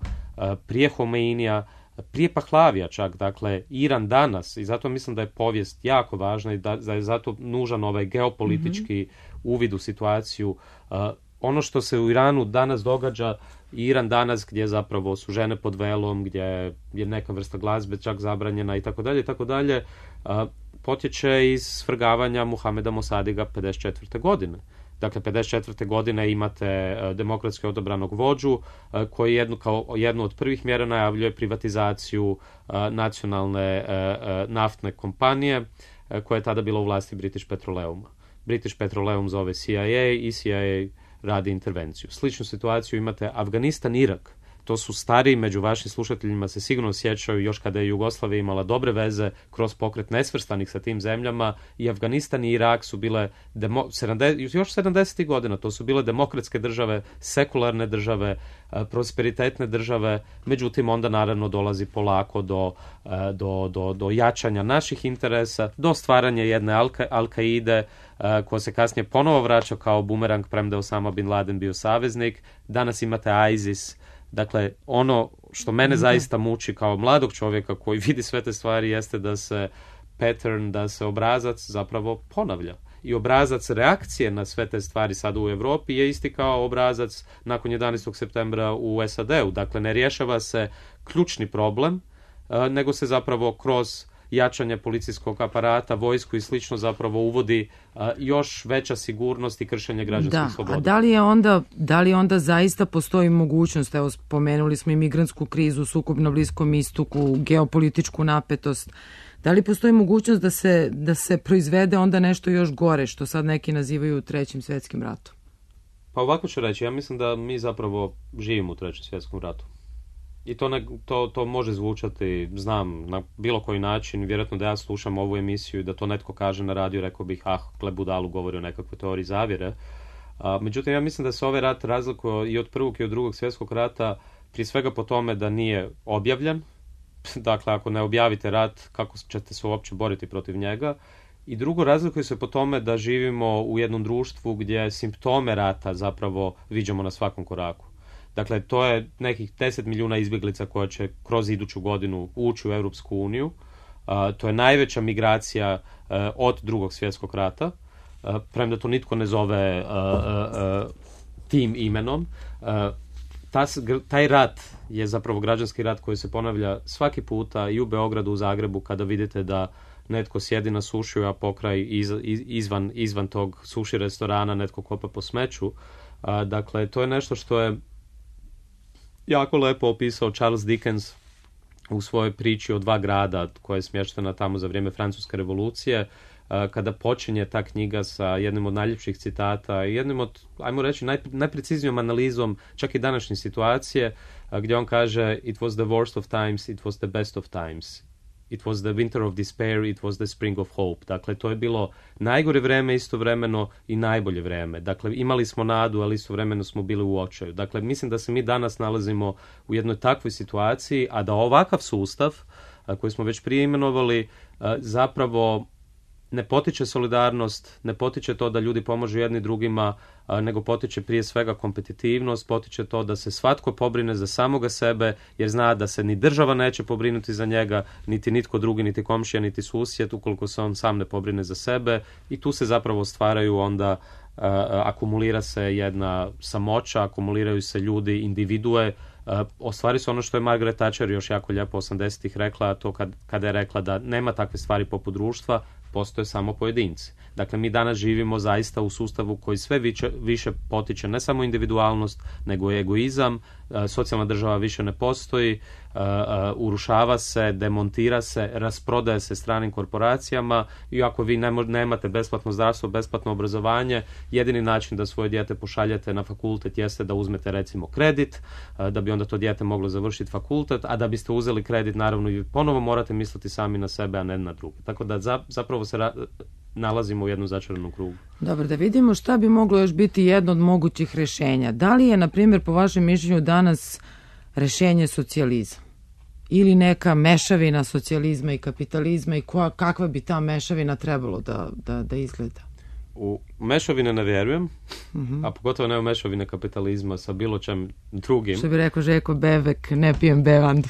prije Homeinija, prije Pahlavija čak. Dakle, Iran danas, i zato mislim da je povijest jako važna i da, da je zato nužan ovaj geopolitički mm-hmm. uvid u situaciju. Uh, ono što se u Iranu danas događa, Iran danas gdje zapravo su žene pod velom, gdje je neka vrsta glazbe čak zabranjena i tako dalje i tako dalje, potječe iz svrgavanja Muhameda Mosadiga pedeset četvrte godine. Dakle, pedeset četvrte godine imate demokratski odabranog vođu koji jednu, kao jednu od prvih mjera najavljuje privatizaciju nacionalne naftne kompanije koja je tada bila u vlasti British Petroleuma. British Petroleum zove C I A i C I A radi intervenciju. Sličnu situaciju imate Afganistan, Irak. To su stariji među vašim slušateljima se sigurno sjećaju još kada je Jugoslavija imala dobre veze kroz pokret nesvrstanih sa tim zemljama i Afganistan i Irak su bile demo, sedamdeset, još sedamdesetih godina, to su bile demokratske države, sekularne države, prosperitetne države, međutim onda naravno dolazi polako do, do, do, do jačanja naših interesa, do stvaranja jedne Al-Kaide koja se kasnije ponovo vraća kao bumerang premda je Osama Bin Laden bio saveznik. Danas imate ISIS. Dakle, ono što mene zaista muči kao mladog čovjeka koji vidi sve te stvari jeste da se pattern, da se obrazac zapravo ponavlja. I obrazac reakcije na sve te stvari sada u Europi je isti kao obrazac nakon jedanaestog septembra u S A D-u. Dakle, ne rješava se ključni problem, nego se zapravo kroz jačanje policijskog aparata, vojsku i slično zapravo uvodi a, još veća sigurnost i kršenje građanskih da, sloboda. A da li je onda, da li onda zaista postoji mogućnost, evo spomenuli smo i migrantsku krizu, sukob na Bliskom istoku, geopolitičku napetost, da li postoji mogućnost da se, da se proizvede onda nešto još gore, što sad neki nazivaju trećim svjetskim ratom? Pa ovako ću reći, ja mislim da mi zapravo živimo u trećem svjetskom ratu. I to, ne, to, to može zvučati, znam, na bilo koji način, vjerojatno da ja slušam ovu emisiju i da to netko kaže na radiju, rekao bih, ah, gle budalu govori o nekakvoj teoriji zavjere. A, međutim, ja mislim da se ovaj rat razlikuje i od prvog i od drugog svjetskog rata, prije svega po tome da nije objavljen. Dakle, ako ne objavite rat, kako ćete se uopće boriti protiv njega? I drugo, razlikuje se po tome da živimo u jednom društvu gdje simptome rata zapravo viđamo na svakom koraku. Dakle, to je nekih deset milijuna izbjeglica koja će kroz iduću godinu ući u Europsku uniju. Uh, to je najveća migracija uh, od drugog svjetskog rata. Uh, premda to nitko ne zove uh, uh, uh, tim imenom. Uh, ta, taj rat je zapravo građanski rat koji se ponavlja svaki puta i u Beogradu, u Zagrebu, kada vidite da netko sjedi na sušiju, a pokraj iz, iz, izvan, izvan tog suši restorana netko kopa po smeću. Uh, dakle, to je nešto što je jako lepo opisao Charles Dickens u svojoj priči o dva grada koja je smještena tamo za vrijeme Francuske revolucije, kada počinje ta knjiga sa jednim od najljepših citata i jednim od, ajmo reći, naj, najpreciznijom analizom čak i današnje situacije, gdje on kaže it was the worst of times, it was the best of times. It was the winter of despair, it was the spring of hope. Dakle, to je bilo najgore vreme istovremeno i najbolje vreme. Dakle, imali smo nadu, ali istovremeno smo bili u očaju. Dakle, mislim da se mi danas nalazimo u jednoj takvoj situaciji, a da ovakav sustav, koji smo već prije imenovali, zapravo ne potiče solidarnost, ne potiče to da ljudi pomažu jedni drugima, nego potiče prije svega kompetitivnost, potiče to da se svatko pobrine za samoga sebe, jer zna da se ni država neće pobrinuti za njega, niti nitko drugi, niti komšija, niti susjed, ukoliko se on sam ne pobrine za sebe. I tu se zapravo stvaraju onda, uh, akumulira se jedna samoća, akumuliraju se ljudi, individue. Uh, ostvari se ono što je Margaret Thatcher još jako lijepo osamdesetih rekla, to kad, kada je rekla da nema takve stvari poput društva, postoje samo pojedinci. Dakle, mi danas živimo zaista u sustavu koji sve više, više potiče ne samo individualnost, nego i egoizam, socijalna država više ne postoji, urušava se, demontira se, rasprodaje se stranim korporacijama i ako vi nemate besplatno zdravstvo, besplatno obrazovanje, jedini način da svoje dijete pošaljete na fakultet jeste da uzmete recimo kredit, da bi onda to dijete moglo završiti fakultet, a da biste uzeli kredit, naravno i ponovo morate misliti sami na sebe, a ne na druge. Tako da zapravo se ra- nalazimo u jednom začaranom krugu. Dobro, da vidimo šta bi moglo još biti jedno od mogućih rješenja. Da li je, na primjer, po vašem mišljenju danas rješenje socijalizam? Ili neka mešavina socijalizma i kapitalizma i koja, kakva bi ta mešavina trebalo da, da, da izgleda? U mešavine ne vjerujem, mm-hmm. a pogotovo ne u mešavine kapitalizma sa bilo čem drugim. Što bi rekao Željko Bebek, ne pijem bevandu.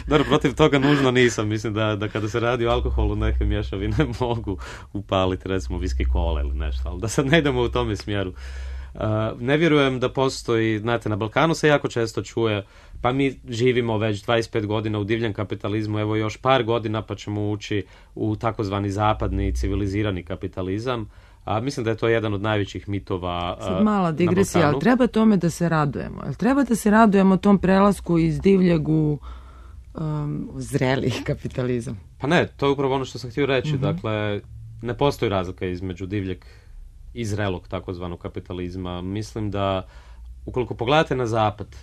Dobro, protiv toga nužno nisam. Mislim da, da kada se radi o alkoholu neke mješavine mogu upaliti recimo viski kola ili nešto, ali da sad ne idemo u tome smjeru. Uh, ne vjerujem da postoji, znate, na Balkanu se jako često čuje, pa mi živimo već dvadeset pet godina u divljem kapitalizmu, evo još par godina pa ćemo ući u takozvani zapadni civilizirani kapitalizam. A mislim da je to jedan od najvećih mitova uh, Sad mala digresija, ali treba tome da se radujemo. Jel treba da se radujemo tom prelasku iz divljeg u um, zreli kapitalizam? Pa ne, to je upravo ono što sam htio reći. Mm-hmm. Dakle, ne postoji razlika između divljeg i zrelog takozvanog kapitalizma. Mislim da ukoliko pogledate na zapad,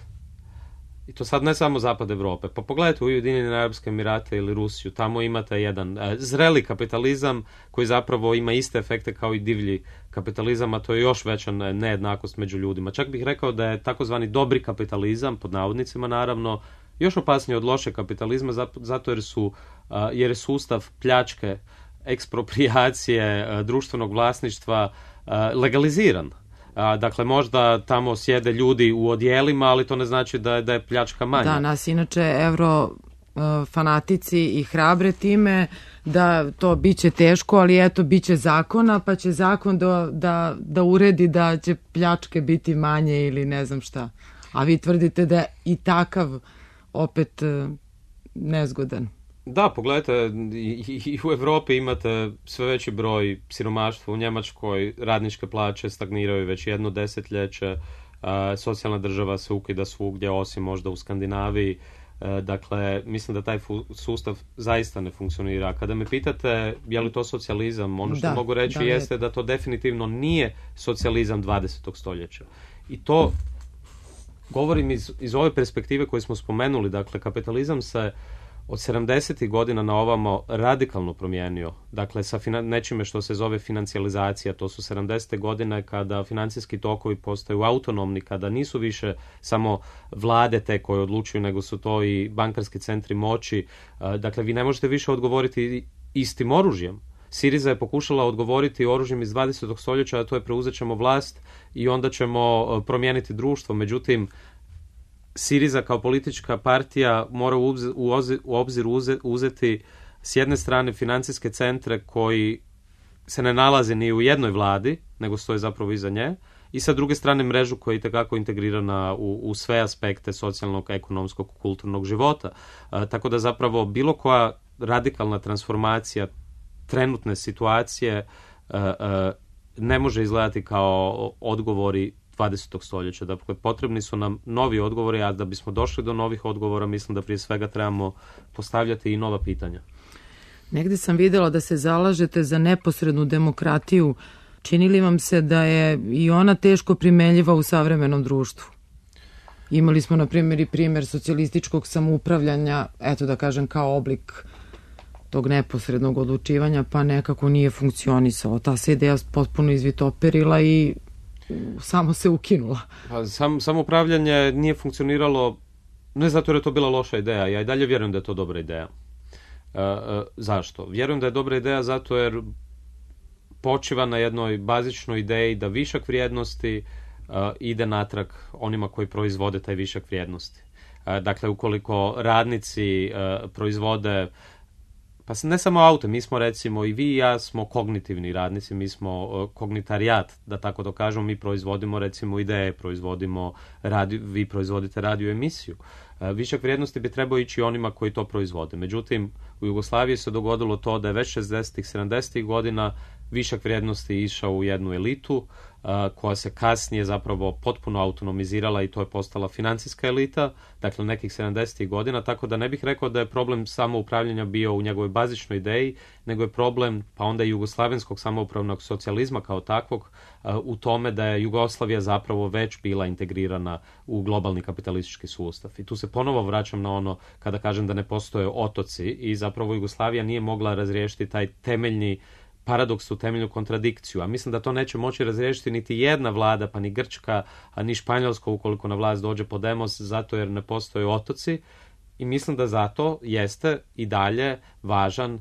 i to sad ne samo zapad Evrope, pa pogledajte u Ujedinjene Arapske Emirate ili Rusiju, tamo imate jedan e, zreli kapitalizam koji zapravo ima iste efekte kao i divlji kapitalizam, a to je još veća nejednakost među ljudima. Čak bih rekao da je takozvani dobri kapitalizam, pod navodnicima naravno, još opasniji od loše kapitalizma, zato jer su a, jer je sustav pljačke, eksproprijacije, a, društvenog vlasništva a, legaliziran. A, dakle, možda tamo sjede ljudi u odjelima, ali to ne znači da je, da je pljačka manja. Da, nas inače euro uh, fanatici i hrabre time da to biće teško, ali eto, biće zakona, pa će zakon da, da, da uredi da će pljačke biti manje ili ne znam šta. A vi tvrdite da je i takav opet uh, nezgodan. Da, pogledajte, i, i u Evropi imate sve veći broj siromaštva, u Njemačkoj radničke plaće stagniraju već jedno desetljeće, a, socijalna država se ukida svugdje, osim možda u Skandinaviji, a, dakle, mislim da taj fu- sustav zaista ne funkcionira. Kada me pitate je li to socijalizam, ono što da, mogu reći da, jeste je. da to definitivno nije socijalizam dvadesetog stoljeća. I to govorim iz, iz ove perspektive koju smo spomenuli, dakle, kapitalizam se od sedamdesetih godina na ovamo radikalno promijenio. Dakle, sa finan- nečime što se zove financijalizacija. To su sedamdesete godine kada financijski tokovi postaju autonomni, kada nisu više samo vlade te koje odlučuju, nego su to i bankarski centri moći. Dakle, vi ne možete više odgovoriti istim oružjem. Siriza je pokušala odgovoriti oružjem iz dvadesetog stoljeća, a to je preuzet ćemo vlast i onda ćemo promijeniti društvo. Međutim, Siriza kao politička partija mora u obzir, u obzir uzeti s jedne strane financijske centre koji se ne nalaze ni u jednoj vladi, nego stoje zapravo iza nje, i sa druge strane mrežu koja je itekako integrirana u, u sve aspekte socijalnog, ekonomskog, kulturnog života. A, tako da zapravo bilo koja radikalna transformacija trenutne situacije a, a, ne može izgledati kao odgovori dvadesetog stoljeća. Dakle, potrebni su nam novi odgovori, a da bismo došli do novih odgovora, mislim da prije svega trebamo postavljati i nova pitanja. Negde sam vidjela da se zalažete za neposrednu demokratiju. Čini li vam se da je i ona teško primenljiva u savremenom društvu? Imali smo, na primjer, i primjer socijalističkog samoupravljanja, eto da kažem, kao oblik tog neposrednog odlučivanja, pa nekako nije funkcionisao. Ta se ideja potpuno izvitoperila i samo se ukinula. Pa, sam, samoupravljanje nije funkcioniralo ne zato jer je to bila loša ideja. Ja i dalje vjerujem da je to dobra ideja. E, e, zašto? Vjerujem da je dobra ideja zato jer počiva na jednoj bazičnoj ideji da višak vrijednosti uh, ide natrag onima koji proizvode taj višak vrijednosti. Uh, dakle, ukoliko radnici uh, proizvode, pa ne samo auto, mi smo recimo i vi i ja smo kognitivni radnici, mi smo uh, kognitarijat, da tako to kažemo, mi proizvodimo recimo ideje, proizvodimo radio, vi proizvodite radio emisiju. Uh, višak vrijednosti bi trebao ići onima koji to proizvode. Međutim, u Jugoslaviji se dogodilo to da je već šezdesetih, sedamdesetih godina višak vrijednosti išao u jednu elitu uh, koja se kasnije zapravo potpuno autonomizirala i to je postala financijska elita, dakle nekih sedamdesetih godina, tako da ne bih rekao da je problem samoupravljanja bio u njegovoj bazičnoj ideji, nego je problem pa onda i jugoslavenskog samoupravnog socijalizma kao takvog uh, u tome da je Jugoslavija zapravo već bila integrirana u globalni kapitalistički sustav. I tu se ponovo vraćam na ono kada kažem da ne postoje otoci i zapravo Jugoslavija nije mogla razriješiti taj temeljni paradoks, u temeljnu kontradikciju, a mislim da to neće moći razriješiti niti jedna vlada, pa ni Grčka, a ni Španjolska ukoliko na vlast dođe Podemos, zato jer ne postoje otoci i mislim da zato jeste i dalje važan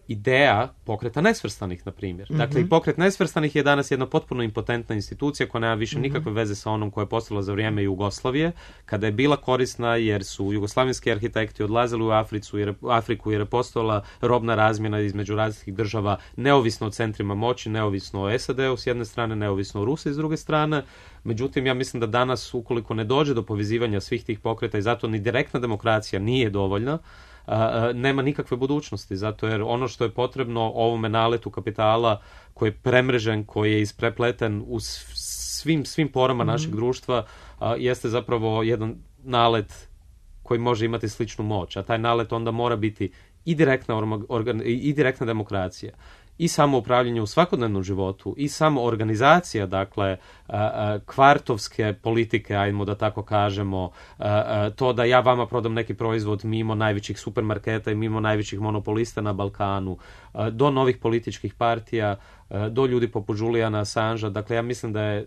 ideja pokreta nesvrstanih, na primjer. Mm-hmm. Dakle, i pokret nesvrstanih je danas jedna potpuno impotentna institucija koja nema više mm-hmm. nikakve veze sa onom koja je postala za vrijeme Jugoslavije, kada je bila korisna jer su jugoslavenski arhitekti odlazili u Afriku jer, Afriku jer je postojala robna razmjena između različitih država, neovisno o centrima moći, neovisno o S A D-u s jedne strane, neovisno o Rusiji s druge strane. Međutim, ja mislim da danas, ukoliko ne dođe do povezivanja svih tih pokreta i zato ni direktna demokracija nije dovoljna, Uh, nema nikakve budućnosti, zato jer ono što je potrebno ovome naletu kapitala koji je premrežen, koji je isprepleten u svim, svim porama mm-hmm. našeg društva, uh, jeste zapravo jedan nalet koji može imati sličnu moć, a taj nalet onda mora biti i direktna, organ, i direktna demokracija, i samo upravljanje u svakodnevnom životu, i samo organizacija, dakle, kvartovske politike, ajmo da tako kažemo, to da ja vama prodam neki proizvod mimo najvećih supermarketa i mimo najvećih monopolista na Balkanu, do novih političkih partija, do ljudi poput Juliana Assangea. Dakle, ja mislim da je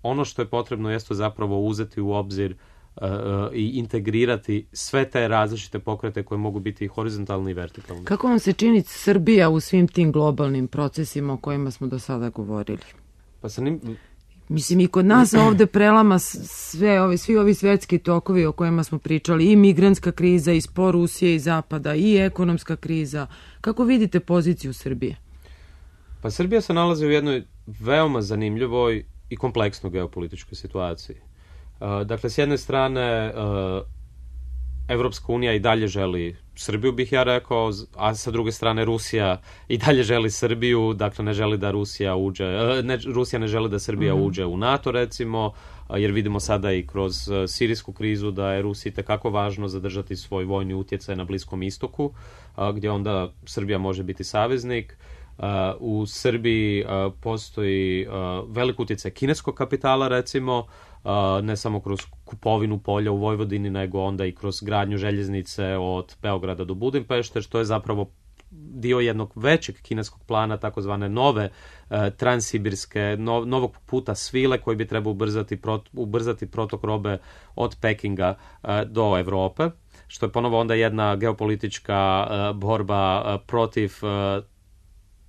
ono što je potrebno jeste zapravo uzeti u obzir Uh, i integrirati sve te različite pokrete koje mogu biti horizontalni i vertikalni. Kako vam se čini Srbija u svim tim globalnim procesima o kojima smo do sada govorili? Pa sa njim... Mislim, i kod nas ovde prelama sve ovi, svi ovi svetski tokovi o kojima smo pričali, i migrantska kriza, i spor Rusije i Zapada, i ekonomska kriza. Kako vidite poziciju Srbije? Pa Srbija se nalazi u jednoj veoma zanimljivoj i kompleksnoj geopolitičkoj situaciji. Uh, dakle, s jedne strane, uh, Evropska unija i dalje želi Srbiju, bih ja rekao, a sa druge strane Rusija i dalje želi Srbiju, dakle ne želi da Rusija uđe, uh, ne, Rusija ne želi da Srbija mm-hmm. uđe u NATO, recimo, uh, jer vidimo sada i kroz uh, sirijsku krizu da je Rusiji tekako važno zadržati svoj vojni utjecaj na Bliskom istoku, uh, gdje onda Srbija može biti saveznik. Uh, u Srbiji uh, postoji uh, velik utjecaj kineskog kapitala, recimo, uh, ne samo kroz kupovinu polja u Vojvodini, nego onda i kroz gradnju željeznice od Beograda do Budimpešte, što je zapravo dio jednog većeg kineskog plana, takozvane nove uh, transsibirske, no, novog puta svile koji bi trebao ubrzati, prot, ubrzati protok robe od Pekinga uh, do Evrope, što je ponovo onda jedna geopolitička uh, borba uh, protiv uh,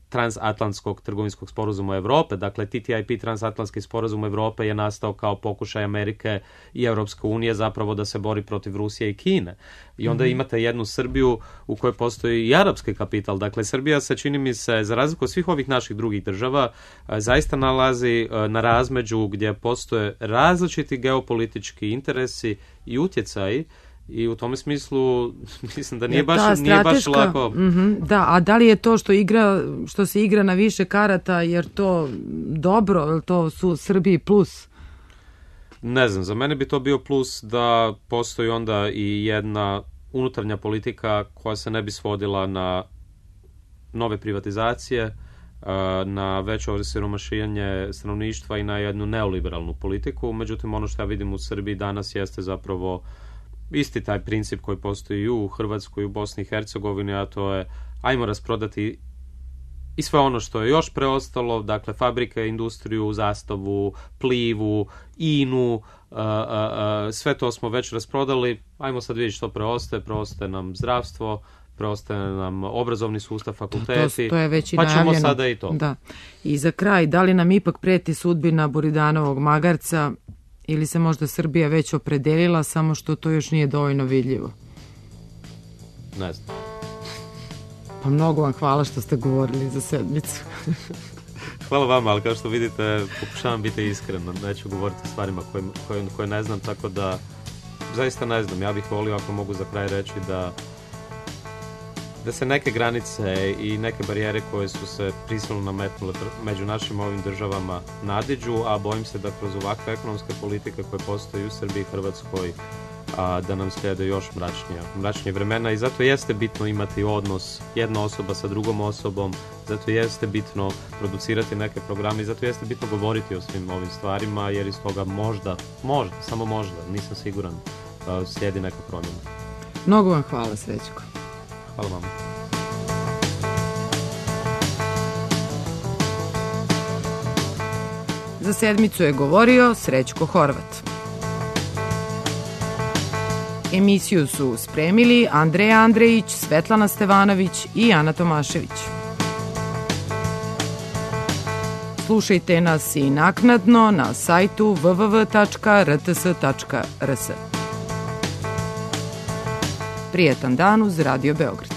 transatlantskog trgovinskog sporazuma Evrope. Dakle, T T I P, transatlantski sporazum Evrope, je nastao kao pokušaj Amerike i Europske unije zapravo da se bori protiv Rusije i Kine. I onda mm-hmm. imate jednu Srbiju u kojoj postoji i arapski kapital. Dakle, Srbija se, čini mi se, za razliku od svih ovih naših drugih država, zaista nalazi na razmeđu gdje postoje različiti geopolitički interesi i utjecaji. I u tome smislu mislim da nije baš, da, nije baš lako. Mm-hmm, da, a da li je to što igra, što se igra na više karata, jer to dobro, jer to su Srbiji plus? Ne znam, za mene bi to bio plus da postoji onda i jedna unutarnja politika koja se ne bi svodila na nove privatizacije, na veće osiromašivanje stanovništva i na jednu neoliberalnu politiku. Međutim, ono što ja vidim u Srbiji danas jeste zapravo isti taj princip koji postoji i u Hrvatskoj i u Bosni i Hercegovini, a to je ajmo rasprodati i sve ono što je još preostalo, dakle fabrike, industriju, Zastavu, Plivu, Inu, a, a, a, sve to smo već rasprodali, ajmo sad vidjeti što preostaje, preostaje nam zdravstvo, preostaje nam obrazovni sustav, fakulteti, to, to je već i pa ćemo najavljeno. Sada i to. Da. I za kraj, da li nam ipak preti sudbina Buridanovog magarca, ili se možda Srbija već opredelila, samo što to još nije dovoljno vidljivo? Ne znam. Pa mnogo vam hvala što ste govorili za sedmicu. Hvala vama, ali kao što vidite, pokušavam biti iskren, neću govoriti o stvarima koje, koje, koje ne znam, tako da zaista ne znam. Ja bih volio, ako mogu za kraj reći, da da se neke granice i neke barijere koje su se prisilno nametnule među našim ovim državama nadiđu, a bojim se da kroz ovakve ekonomske politike koje postoje u Srbiji i Hrvatskoj, a, da nam slijede još mračnija, mračnije vremena, i zato jeste bitno imati odnos jedna osoba sa drugom osobom, zato jeste bitno producirati neke programe i zato jeste bitno govoriti o svim ovim stvarima, jer iz toga možda, možda, samo možda, nisam siguran, a, slijedi neka promjena. Mnogo vam hvala, Srećko. Hvala vam. Za sedmicu je govorio Srećko Horvat. Emisiju su spremili Andreja Andrejić, Svetlana Stevanović i Ana Tomašević. Slušajte nas i naknadno na sajtu w w w tačka r t s tačka r s. Prijetan dan uz Radio Beograd.